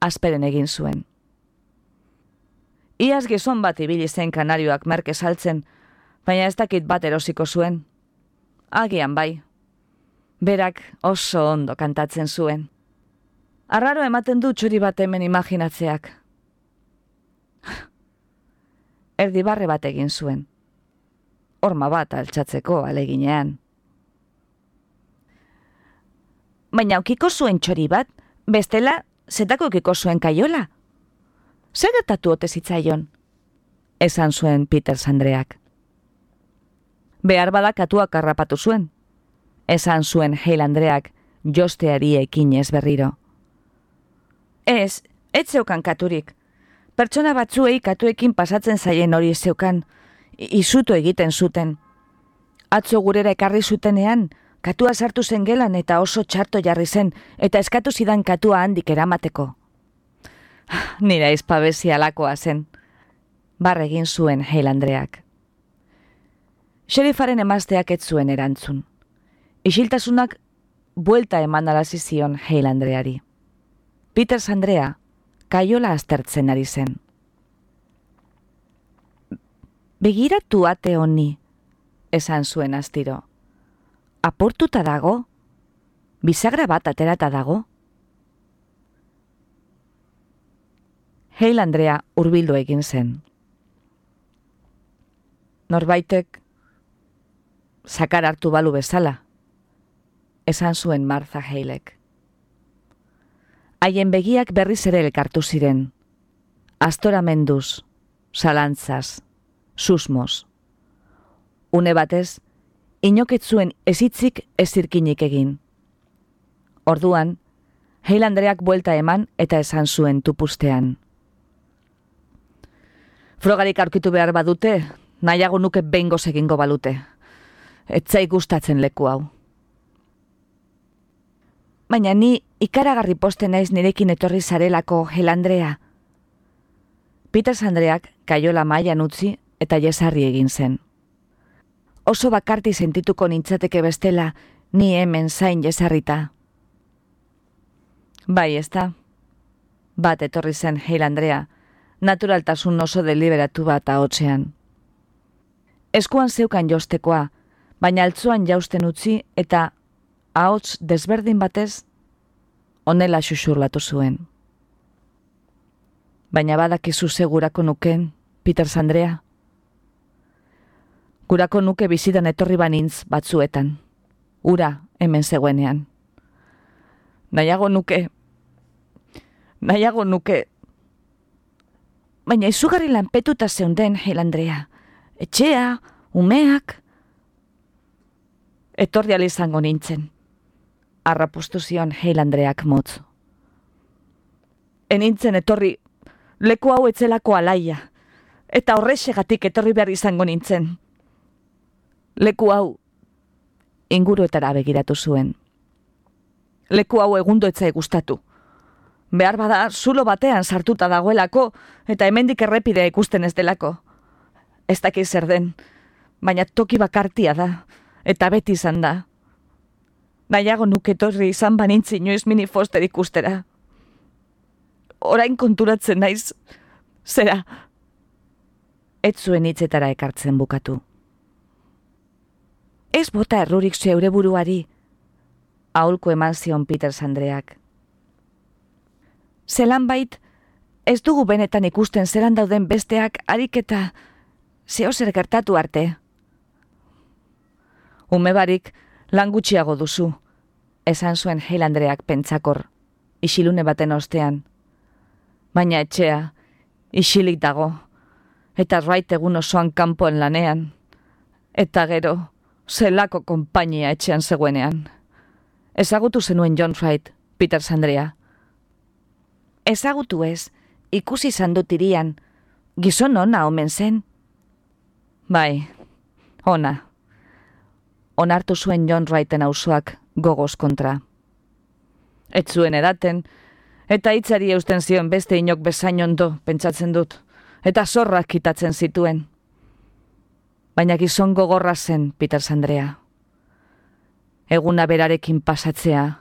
Asperen egin zuen. "Iaz gizon bat ibili zen kanarioak merke saltzen, baina ez dakit bat erosiko zuen." "Agian bai." Berak oso ondo kantatzen zuen. "Arraro ematen du txori bat hemen imaginatzeak." Erdibarre bat egin zuen. Horma bat altxatzeko aleginean. "Baina aukiko zuen txori bat, bestela zetako aukiko zuen kaiola. Zer gertatu ote zitzaion?" esan zuen Peters Andreak. "Behar bada katuak harrapatu zuen," esan zuen Hale Andreak josteari ekinez berriro. Ez zeukan katurik. Pertsona batzuei katuekin pasatzen zaien hori zeukan, izutu egiten zuten. Atzo gurera ekarri zutenean, katua sartu zen gelan eta oso txarto jarri zen, eta eskatu zidan katua handik eramateko. Nire izpabezi alakoa zen, barre egin zuen Hale Andreak. Sheriffaren emazteak ez zuen erantzun. Isiltasunak buelta eman alazi zion Hale Andreari. Peters Andrea kaiola aztertzen ari zen. "Begiratu ate honi," esan zuen astiro. "Aportuta dago? Bisagra bat aterata dago?" Hale Andrea hurbildu egin zen. "Norbaitek sakar hartu balu bezala," esan zuen Martha Halek. Haien begiak berriz ere elkartu ziren. Astoramenduz, zalantzaz, susmoz. Une batez, inokez zuen ezitzik ezirkinik egin. Orduan, Hale Andreak buelta eman eta esan zuen tupustean. "Frogarik aurkitu behar badute, nahiago nuke behingoz egingo balute. Ez zait gustatzen leku hau." "Baina ni ikaragarri posten naiz nirekin etorri zarelako, Hale Andrea." Peters Andreak kaiola mailan utzi eta jesarri egin zen. "Oso bakarti sentituko nintzateke bestela, ni hemen zain jesarrita." "Bai, ezta?" Bat etorri zen Hale Andrea, naturaltasun oso deliberatu bat ahotsean. Eskuan zeukan jostekoa, baina altzoan jausten utzi eta ahots desberdin batez honela xuxurlatu zuen. "Baina badakizu ze gurako nuken, Peters Andrea? Gurako nuke bizitan etorri banintz batzuetan. Ura hemen zegoenean. Nahiago nuke... Baina izugarri lanpetuta zeunden, Hale Andrea. Etxea, umeak... Etorri izango nintzen." Arrapustu zion Hale Andreak motz. "Enintzen etorri, leku hau etzelako alaia, eta horrexegatik etorri behar izango nintzen. Leku hau," inguruetara begiratu zuen. "Leku hau egundo etzai gustatu. Behar bada zulo batean sartuta dagoelako, eta hemendik errepidea ikusten ez delako. Ez dakit zer den, baina toki bakartia da, eta beti izan da. Nahiago nuke etorri izan banintzi inoiz Minnie Foster ikustera. Orain konturatzen naiz, zera." Ez zuen hitzetara ekartzen bukatu. "Ez bota errurik zeure buruari," aholku eman zion Peters Andreak. Zelan bait, ez dugu benetan ikusten zelan dauden besteak ariketa zehozer gertatu arte. Ume barik lan gutxiago duzu, esan zuen Hale Andreak pentsakor, isilune baten ostean. Baina etxea, isilik dago, eta Wright egun osoan kanpoen lanean, eta gero, zelako konpainia etxean zegoenean. Ezagutu zenuen John Wright, Peters Andrea. Ezagutu ez, ikusi izan dut irian, gizon ona omen zen. Bai, ona. Onartu zuen John Wrighten auzoak gogoz kontra. Ez zuen edaten, eta hitzari eusten zion beste inok bezain ondo, pentsatzen dut, eta zorrak kitatzen zituen. Baina gizon gogorra zen, Peters Andrea. Eguna berarekin pasatzea.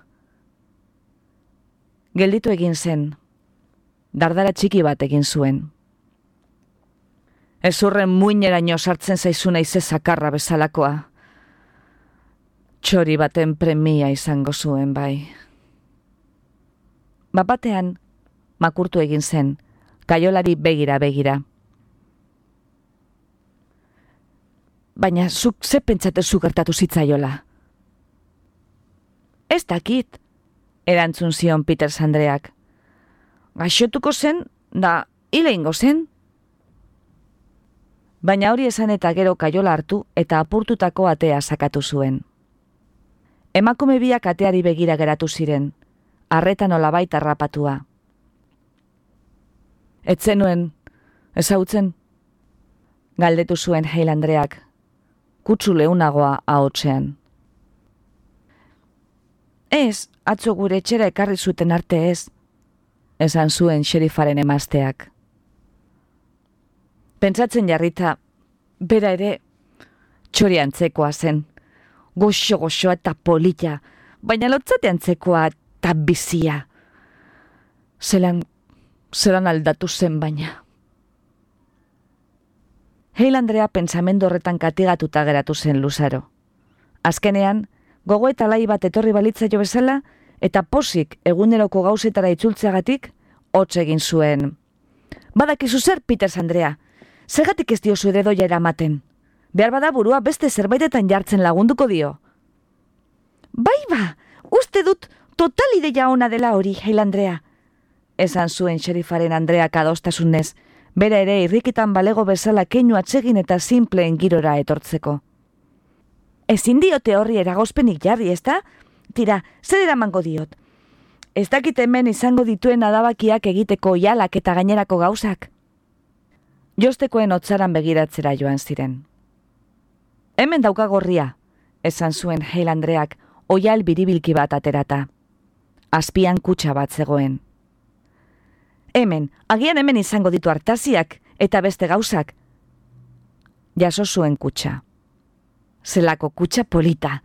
Gelditu egin zen, dardara txiki bat egin zuen. Ezurren muineraino sartzen zaizuna ize zakarra bezalakoa. Txori baten premia izango zuen, bai. Bapatean, makurtu egin zen, kaiolari begira. Baina zuk ze pentsatezu gertatu zitzaiola? Ez dakit, erantzun zion Peters Andreak. Gaixotuko zen, da hil egingo zen. Baina hori esan eta gero kaiola hartu eta apurtutako atea sakatu zuen. Emakume biak ateari begira geratu ziren, arretan olabait harrapatua. Ez zenuen, ezagutzen? Galdetu zuen Hale Andreak, kutsu leunagoa ahotsean. Ez, atzo gure etxera ekarri zuten arte ez, esan zuen xerifaren emazteak. Pentsatzen jarrita, bera ere, txori antzekoa zen, goxo eta polita, baina lotzate antzekoa eta bizia. Zelan aldatu zen baina. Hale Andrea pentsamendu horretan katigatuta geratu zen luzaro. Azkenean, gogo eta lai bat etorri balitzaio bezala, eta posik eguneroko gauzetara itzultzeagatik, hotz egin zuen. Badakizu zer, Peters Andrea, zergatik ez diozu ere doia eramaten? Behar bada burua beste zerbaitetan jartzen lagunduko dio. Bai, uste dut total ideia ona dela hori, Hale Andrea. Esan zuen xerifaren Andreak adostasunez, bera ere irrikitan balego bezala keinu atsegin eta simpleen girora etortzeko. Ezin diote horri eragozpenik jarri, ezta? Tira, zer eramango diot? Ez dakit hemen izango dituen adabakiak egiteko oihalak eta gainerako gauzak? Jostekoen hotzaran begiratzera joan ziren. Hemen dauka gorria, esan zuen Hale Andreak oihal biribilki bat aterata. Azpian kutxa bat zegoen. Agian hemen izango ditu artaziak eta beste gauzak. Jaso zuen kutxa. Zelako kutxa polita.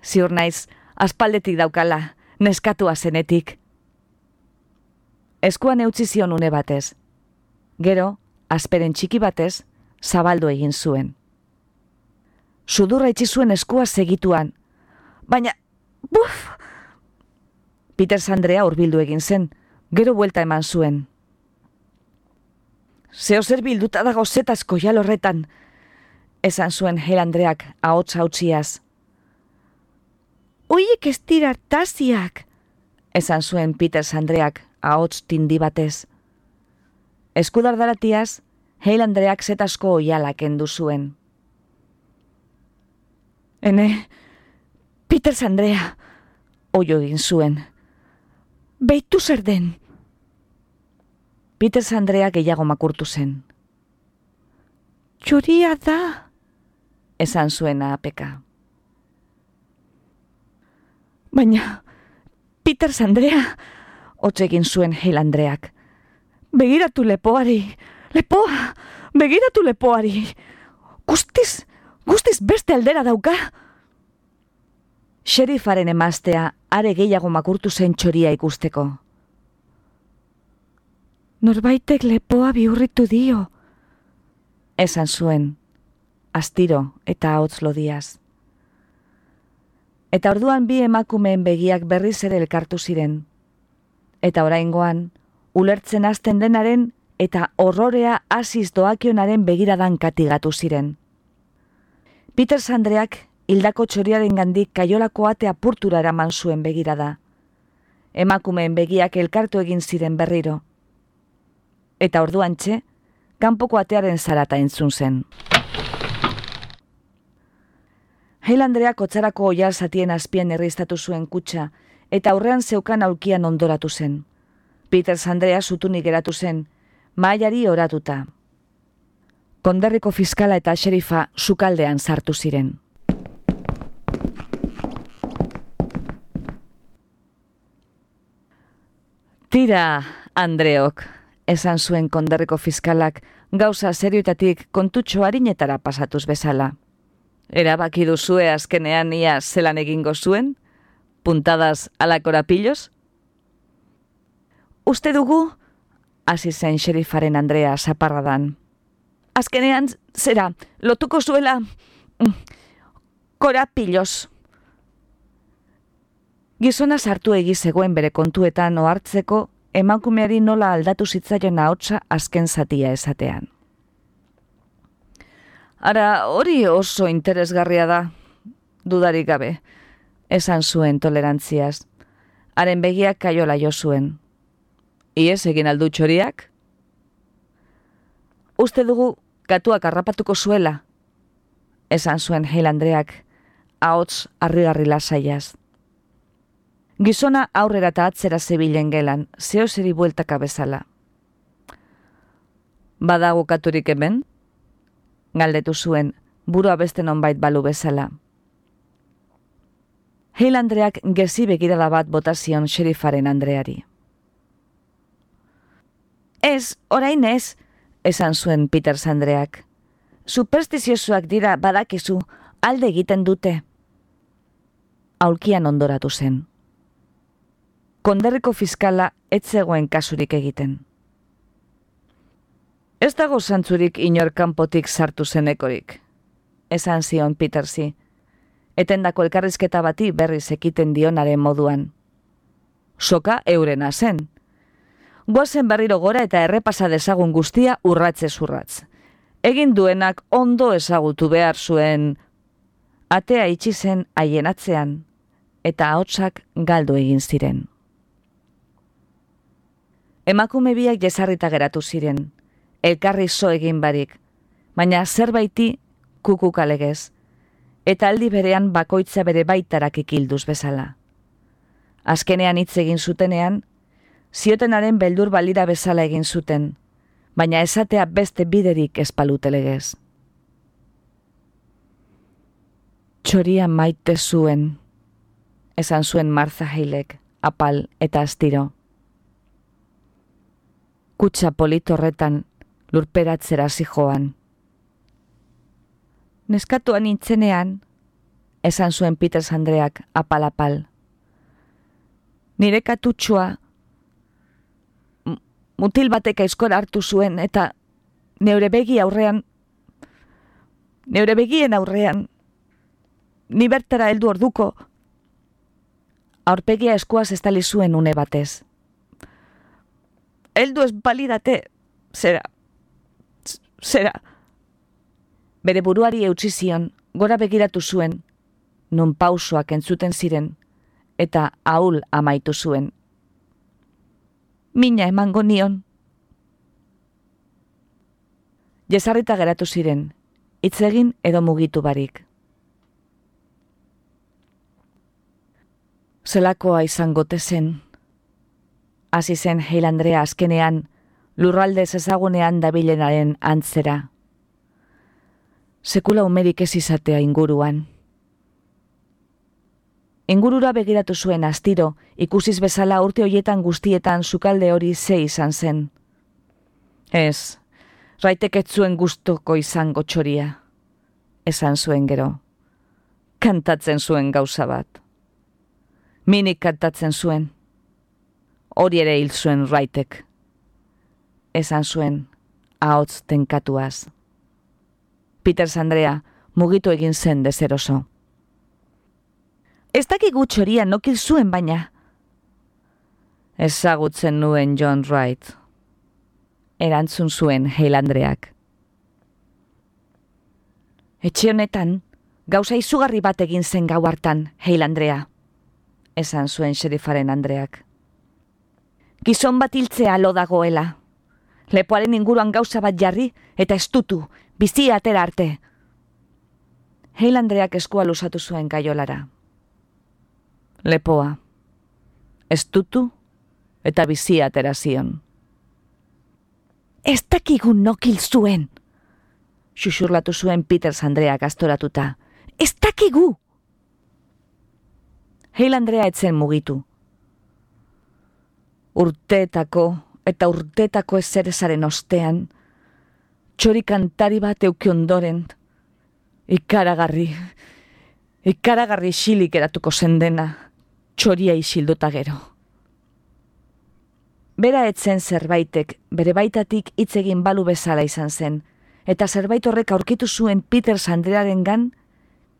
Ziur naiz, aspaldetik daukala, neskatua zenetik. Eskuan eutzi zion une batez. Gero, azperen txiki batez, zabaldu egin zuen. Sudurra itxi zuen eskua segituan. Baina, buf! Peters Andrea hurbildu egin zen, gero buelta eman zuen. Zeozer bilduta dago zetazko jal horretan, esan zuen Hale Andreak ahots hautziaz. Oiek ez dira artaziak, esan zuen Peters Andreak ahots tindi batez. Eskudardaratiaz, Hale Andreak zetazko oihala kendu zuen. Peters Andrea, oio egin zuen. Beitu zer den. Peters Andrea gehiago makurtu zen. Txoria da, esan zuen apeka. Baina, Peters Andrea, hotz egin zuen Hale Andreak. Begiratu lepoari, begiratu lepoari. Guztiz beste aldera dauka. Xerifaren emaztea are gehiago makurtu zen txoria ikusteko. Norbaitek lepoa bihurritu dio, esan zuen, astiro eta ahots lodiaz. Eta orduan bi emakumeen begiak berriz ere elkartu ziren, eta oraingoan ulertzen hasten denaren eta horrorea hasiz doakionaren begiradan katigatu ziren. Peters Andreak hildako txoriaren gandik kaiolako ate apurtura eraman zuen begirada. Emakumeen begiak elkartu egin ziren berriro. Eta orduantxe, kanpoko atearen zarata entzun zen. Hale Andreak otzarako oial zatien azpien erriztatu zuen kutxa, eta aurrean zeukan aulkian ondoratu zen. Peters Andrea zutunik geratu zen, mahaiari oratuta. Konderriko fiskala eta xerifa sukaldean sartu ziren. Tira, Andreok, esan zuen konderriko fiskalak gauza serioetatik kontutxo harinetara pasatuz bezala. Erabaki duzue azkenean ia zelan egingo zuen? Puntadas ala korapillos? Uste dugu, hasi zen xerifaren Andrea zaparradan. Azkenean, zera, lotuko zuela korapillos. Gizona sartu zegoen bere kontuetan ohartzeko emakumeari nola aldatu zitzaion ahotsa azken zatia esatean. Ara, hori oso interesgarria da, dudarik gabe, esan zuen tolerantziaz. Haren begiak kaiola jo zuen. Iez egin aldu txoriak? Uste dugu gatuak harrapatuko zuela, esan zuen Hale Andreak, ahots harrigarri lasaiaz. Gizona aurrera eta atzera zebilen gelan, zehozeri bueltaka bezala. Badago katurik hemen? Galdetu zuen, burua beste nonbait balu bezala. Hale Andreak gezi begirada bat botazion xerifaren Andreari. Ez, orain ez, esan zuen Peters Andreak. Superstiziosoak dira badakizu, alde egiten dute. Aulkian ondoratu zen. Konderriko fiskala ez zegoen kasurik egiten. Ez dago zantzurik inor kanpotik sartu zenekorik, esan zion Petersi, etendako elkarrizketa bati berriz ekiten dionaren moduan. Soka eurena zen. Goazen berriro gora eta errepasa dezagun guztia urratzez urratz. Egin duenak ondo ezagutu behar zuen, atea itxi zen haien atzean, eta ahotsak galdu egin ziren. Emakume biak jesarrita geratu ziren, elkarri zo egin barik, baina zerbaiti kukuk alegez, eta aldi berean bakoitza bere baitarak ikilduz bezala. Azkenean hitz egin zutenean, ziotenaren beldur balira bezala egin zuten, baina esatea beste biderik espalute legez. Txoria maite zuen, esan zuen Martha Halek, apal eta astiro. Kutxa polit horretan lurperatzera zijoan. Neskatuan nintzenean, esan zuen Peters Andreak apal-apal. Nire katutxua mutil batek aizkora hartu zuen eta neure begien aurrean, ni bertara heldu orduko, aurpegia eskuaz estali zuen une batez. Heldu ez balidate, zera. Bere buruari eutsi zion, gora begiratu zuen, non pausoak entzuten ziren, eta ahul amaitu zuen. Mina emango nion. Jesarrita geratu ziren, hitz egin edo mugitu barik. Zelakoa izangote zen. Hasi zen Hale Andrea azkenean, lurraldez ezagunean dabilenaren antzera. Sekula umerik ez izatea inguruan. Ingurura begiratu zuen astiro, ikusiz bezala urte hoietan guztietan sukalde hori ze izan zen. Ez, Raitek ez zuen gustoko izango txoria, esan zuen gero. Kantatzen zuen gauza bat. Minik kantatzen zuen. Hori ere hil zuen Raitek. Esan zuen, ahots tenkatuaz. Peters Andrea mugitu egin zen deseroso. Ez dakigu txoria nokil zuen baina. Ezagutzen nuen John Wright. Erantzun zuen Hale Andreak. Etxe honetan, gauza izugarri bat egin zen gau hartan, Hale Andrea, esan zuen xerifaren Andreak. Gizon bat hiltzea lo dagoela. Lepoaren inguruan gauza bat jarri eta estutu, bizia atera arte. Hale Andreak eskua luzatu zuen gaiolara. Lepoa, estutu eta bizia atera zion. Ez dakigu nokil zuen, xuxurlatu zuen Peters Andreak astoratuta. Ez dakigu! Hale Andrea etzen mugitu. Urteetako eta urteetako ezerezaren ostean, txori kantari bat euki ondoren, ikaragarri xilik eratuko zendena, txoria isilduta gero. Bera etzen zerbaitek, bere baitatik hitz egin balu bezala izan zen, eta zerbait horrek aurkitu zuen Peters Andrearengan,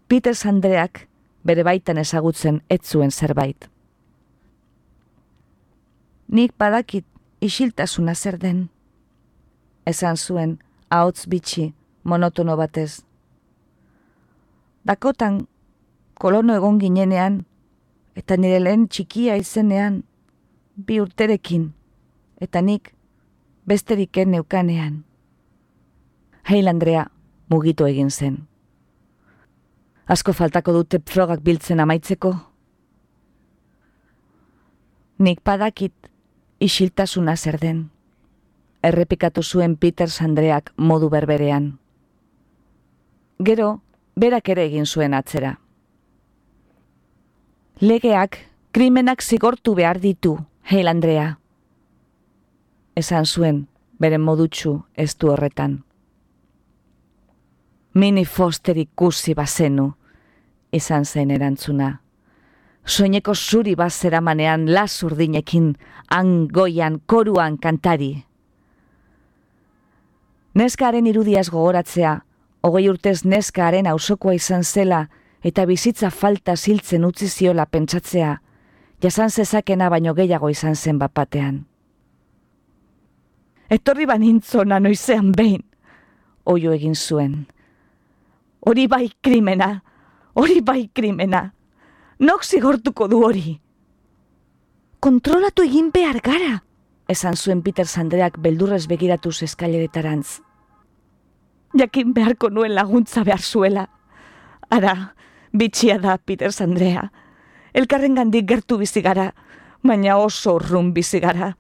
Peters Andreak bere baitan ezagutzen ez zuen zerbait. Nik badakit isiltasuna zer den, esan zuen ahots bitxi monotono batez. Dakotan kolono egon ginenean, eta nire lehen txikia izenean, 2 urterekin, eta nik besteriken neukanean. Hale Andrea mugitu egin zen. Asko faltako dute frogak biltzen amaitzeko. Nik badakit isiltasuna zer den, errepikatu zuen Peters Andreak modu berberean. Gero, berak ere egin zuen atzera. Legeak, krimenak zigortu behar ditu, Hale Andrea, esan zuen beren modutsu estu horretan. Minnie Foster ikusi bazenu, izan zen erantzuna. Soineko zuri bazeramanean lasurdinekin, angoian, koruan kantari. Neskaren irudiaz gogoratzea, 20 urtez neskaren auzokoa izan zela eta bizitza falta ziltzen utzi ziola pentsatzea, jasan zezakena baino gehiago izan zen bapatean. Etorri banintzona noizean behin, oio egin zuen. Hori bai krimena, hori bai krimena. Nok zigortuko du hori? Kontrolatu egin behar gara, esan zuen Peters Andreak beldurrez begiratuz eskaileretarantz. Jakin beharko nuen laguntza behar zuela. Ara, bitxia da Peters Andrea. Elkarrengandik gertu bizi gara, baina oso urrun bizi gara.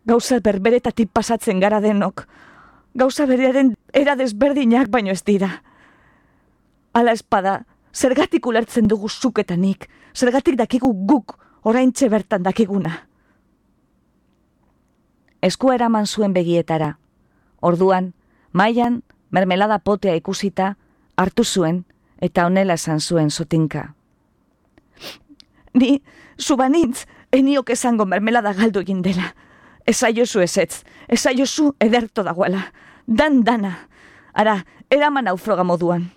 Gauza berberetatik pasatzen gara denok. Gauza berearen era desberdinak baino ez dira. Ala espada, zergatik ulertzen dugu zuk eta nik, zergatik dakigu guk oraintxe bertan dakiguna. Eskua eraman zuen begietara. Orduan, mailan mermelada potea ikusita, hartu zuen eta honela esan zuen sotinka. Ni, zubanintz, eniok esango mermelada galdu egin dela. Esaiozu ezetz, esaiozu ederto dagoela. Dana. Ara, eraman hau froga moduan.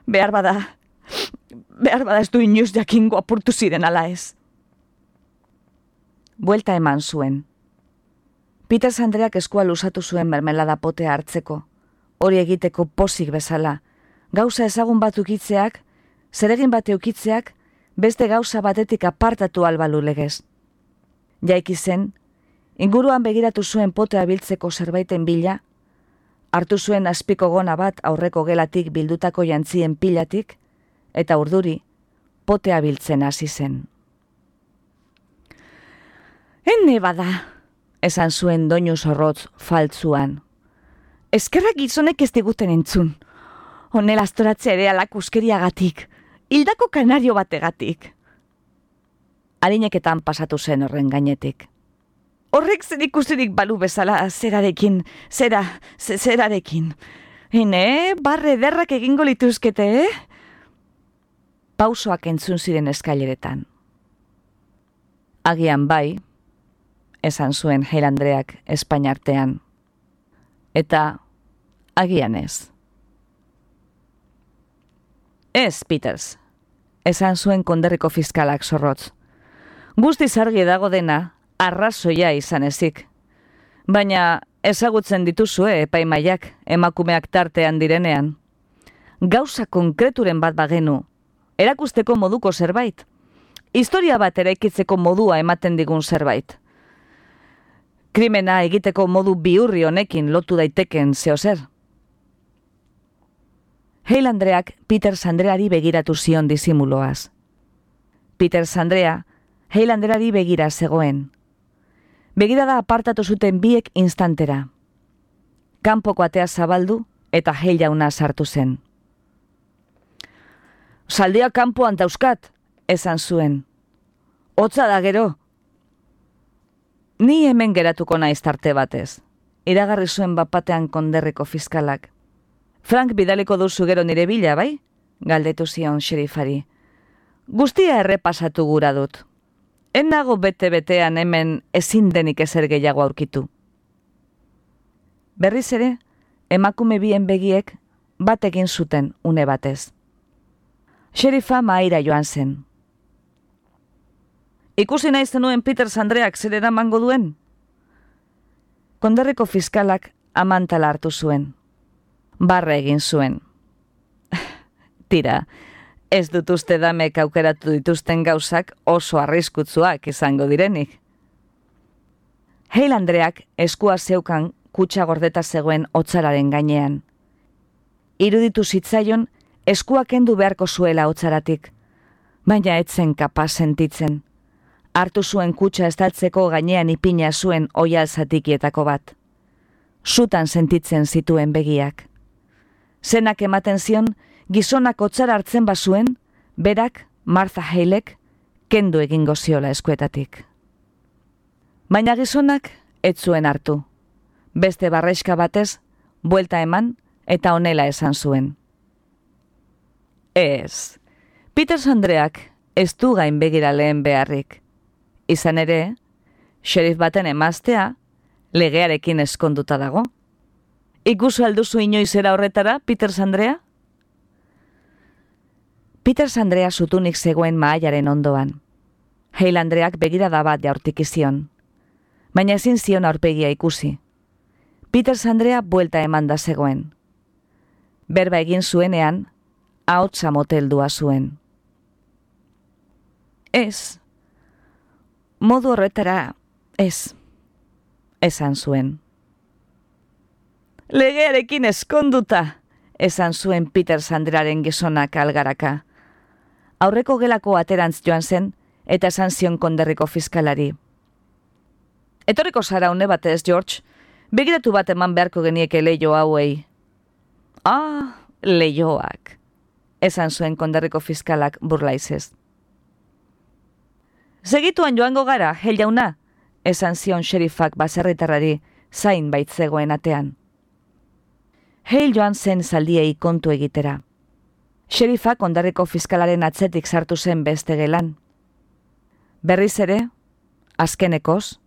Behar bada ez du inoiz jakingo apurtu ziren ala ez. Buelta eman zuen. Peters Andreak eskua luzatu zuen mermelada potea hartzeko. Hori egiteko pozik bezala. Gauza ezagun bat ukitzeak, zeregin bat eukitzeak, beste gauza batetik apartatu albalu legez. Jaiki zen, inguruan begiratu zuen potea biltzeko zerbaiten bila, hartu zuen azpiko gona bat aurreko gelatik bildutako jantzien pilatik, eta urduri, potea biltzen hasi zen. Ene bada, esan zuen doinu zorrotz faltzuan. Eskerrak gizonek ez diguten entzun. Honela astoratzea ere alakuskeriagatik, hildako kanario bategatik. Harineketan pasatu zen horren gainetik. Horrek zer ikusirik balu bezala zerarekin. Barre ederrak egingo lituzkete, Pausoak entzun ziren eskaileretan. Agian bai, esan zuen Hale Andreak Espainiartean. Eta agian ez. Ez, Peters, esan zuen konderriko fiskalak zorrotz. Guztiz argi dago dena, arrazoia izan ezik. Baina ezagutzen dituzue epaimaiak emakumeak tartean direnean. Gauza konkreturen bat bagenu, erakusteko moduko zerbait. Historia bat eraikitzeko modua ematen digun zerbait. Krimena egiteko modu bihurri honekin lotu daiteken zeozer. Hale Andreak Peter Sandreari begiratu zion disimuloaz. Peter Sandrea Hale Andreari begira zegoen. Begirada apartatu zuten biek instantera. Kanpoko atea zabaldu eta Hale jauna sartu zen. Zaldia kanpoan dauzkat, esan zuen. Hotza da gero. Ni hemen geratuko naiz tarte batez. Iragarri zuen bapatean konderriko fiskalak. Frank bidaliko duzu gero nire bila, bai? Galdetu zion xerifari. Guztia errepasatu gura dut. En nago bete-betean hemen ezin denik ezer gehiago aurkitu. Berriz ere, emakume bien begiek bat egin zuten une batez. Xerifa mahaira joan zen. Ikusi nahi zenuen Peter Sandreak zer eramango duen? Konderriko fiskalak amantala hartu zuen. Barra egin zuen. Tira, ez dut uste damek aukeratu dituzten gauzak oso arriskutsuak izango direnik. Hale Andreak eskua zeukan kutxa gordeta zegoen hotzararen gainean. Iruditu zitzaion eskua kendu beharko zuela hotzaratik, baina etzen kapaz sentitzen. Hartu zuen kutxa estaltzeko gainean ipina zuen oial zatikietako bat. Zutan sentitzen zituen begiak. Zenak ematen zion, gizonak hotzara hartzen bazuen, berak, Martha Halek, kendu egingo ziola eskuetatik. Baina gizonak ez zuen hartu. Beste barreska batez, buelta eman eta honela esan zuen. Ez, Peter Sandreak ez du gain begira lehen beharrik. Izan ere, xerif baten emaztea, legearekin eskonduta dago. Ikusu alduzu inoizera horretara, Peter Sandrea? Peter Sandrea zutunik zegoen mahaiaren ondoan. Hale Andreak begirada bat jaurtik izion. Baina ezin zion aurpegia ikusi. Peter Sandrea buelta emanda zegoen. Berba egin zuenean, ahotsa moteldua zuen. Ez, modu horretara, ez, esan zuen. Legearekin eskonduta, esan zuen Peter Sandrearen gizonak algaraka. Aurreko gelako aterantz joan zen, eta esan zion konderriko fiskalari. Etorriko zara une batez, George, begiratu bat eman beharko genieke leio hauei. Ah, leioak, esan zuen konderriko fiskalak burlaizez. Segituan joango gara, Hale jauna, esan zion xerifak baserritarrari zain baitzegoen atean. Hale joan zen zaldiei kontu egitera. Xerifak konderriko fiskalaren atzetik sartu zen beste gelan. Berriz ere, azkenekoz,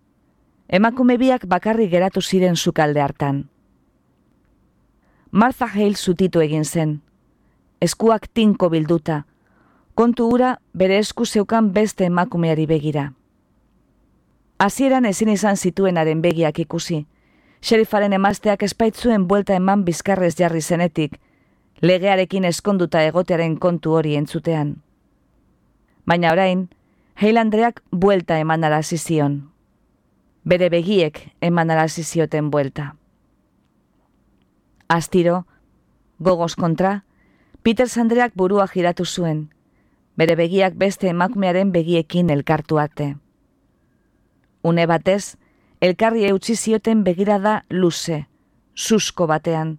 emakume biak bakarrik geratu ziren sukalde hartan. Martha Hale zutitu egin zen, eskuak tinko bilduta, kontu hura bere esku zeukan beste emakumeari begira. Hasieran ezin izan zituenaren begiak ikusi, xerifaren emazteak espaitzuen buelta eman bizkarrez jarri zenetik, legearekin eskonduta egotearen kontu hori entzutean. Baina orain, Hale Andreak buelta eman arazi zion. Bere begiek eman arazi zioten buelta. Astiro, gogoz kontra, Peter Sandreak burua jiratu zuen, bere begiak beste emakumearen begiekin elkartu arte. Une batez, elkarri eutsi zioten begirada luze, susko batean,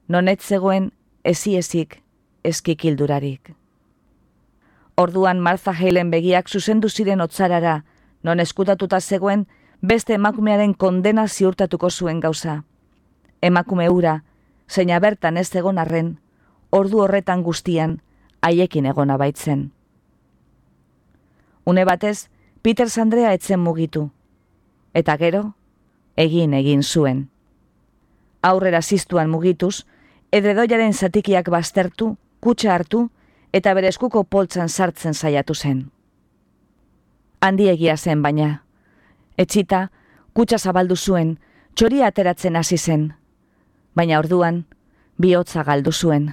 non ez zegoen eziezik eskikildurarik. Orduan Martha Halen begiak zuzendu ziren hotzarara, non eskutatuta zegoen beste emakumearen kondena ziurtatuko zuen gauza. Emakume hura, zeina bertan ez egon arren, ordu horretan guztian, haiekin egona baitzen. Une batez, Peter Sandrea etzen mugitu, eta gero, egin zuen. Aurrera ziztuan mugituz, edredoiaren zatikiak baztertu, kutxa hartu, eta bere eskuko poltsan sartzen saiatu zen. Handiegia zen baina, Etxita, kutsa zabaldu zuen, txoria ateratzen hasi zen. Baina orduan, bihotza galdu zuen.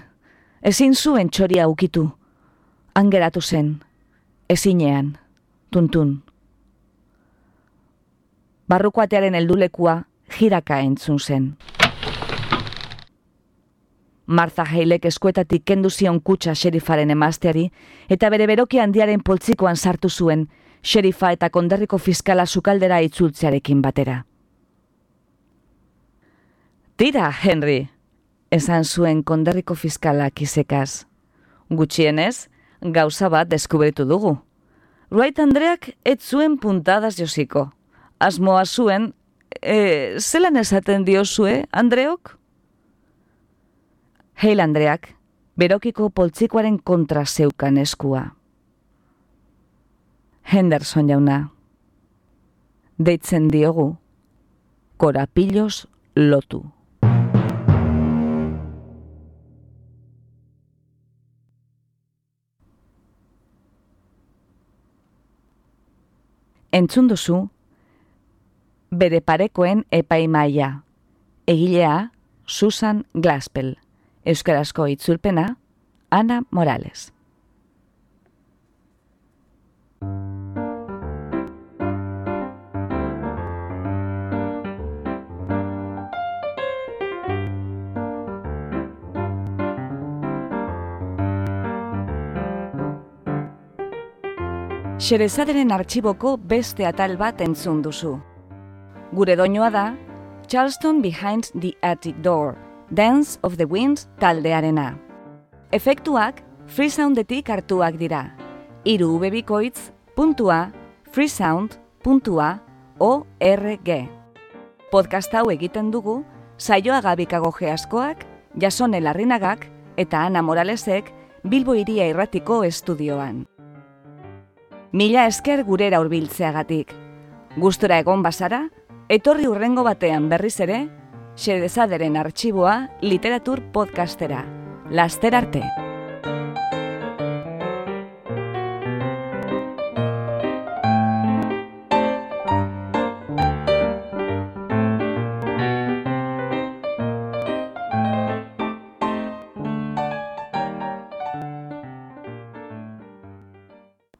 Ezin zuen txoria ukitu. Angeratu zen, ezinean, tuntun. Barrukoatearen heldulekua jiraka entzun zen. Martha Halek eskuetatik kendu zion kutsa xerifaren emazteari eta bere beroki handiaren poltsikoan sartu zuen xerifa eta konderriko fiskala sukaldera itzultzearekin batera. Tira, Henry, esan zuen konderriko fiskalak izekaz. Gutxienez, gauza bat deskubritu dugu. Wright Andreak ez zuen puntadas josiko. Asmoa zuen, zelan esaten diozue, Andreok? Hale Andreak, berokiko poltsikoaren kontra zeukan eskua. Henderson jauna, deitzen diogu, korapiloz lotu. Entzun duzu, bere parekoen epaimaia, egilea Susan Glaspell, euskarazko itzulpena Ana Morales. Xerezaderen artxiboko beste atal bat entzun duzu. Gure doinua da Charleston Behind the Attic Door, Dance of the Winds taldearena. Efektuak Freesoundetik hartuak dira. 3bikoitz.freesound.org. Podcast hau egiten dugu Saioa Gabikago Geaskoak, Jasone Larrinagak eta Ana Moralesek Bilbo Hiria Irratiko estudioan. Mila esker gurera hurbiltzeagatik. Gustora egon bazara, etorri hurrengo batean berriz ere, Xerezaderen artxiboa literatur podcastera. Laster arte!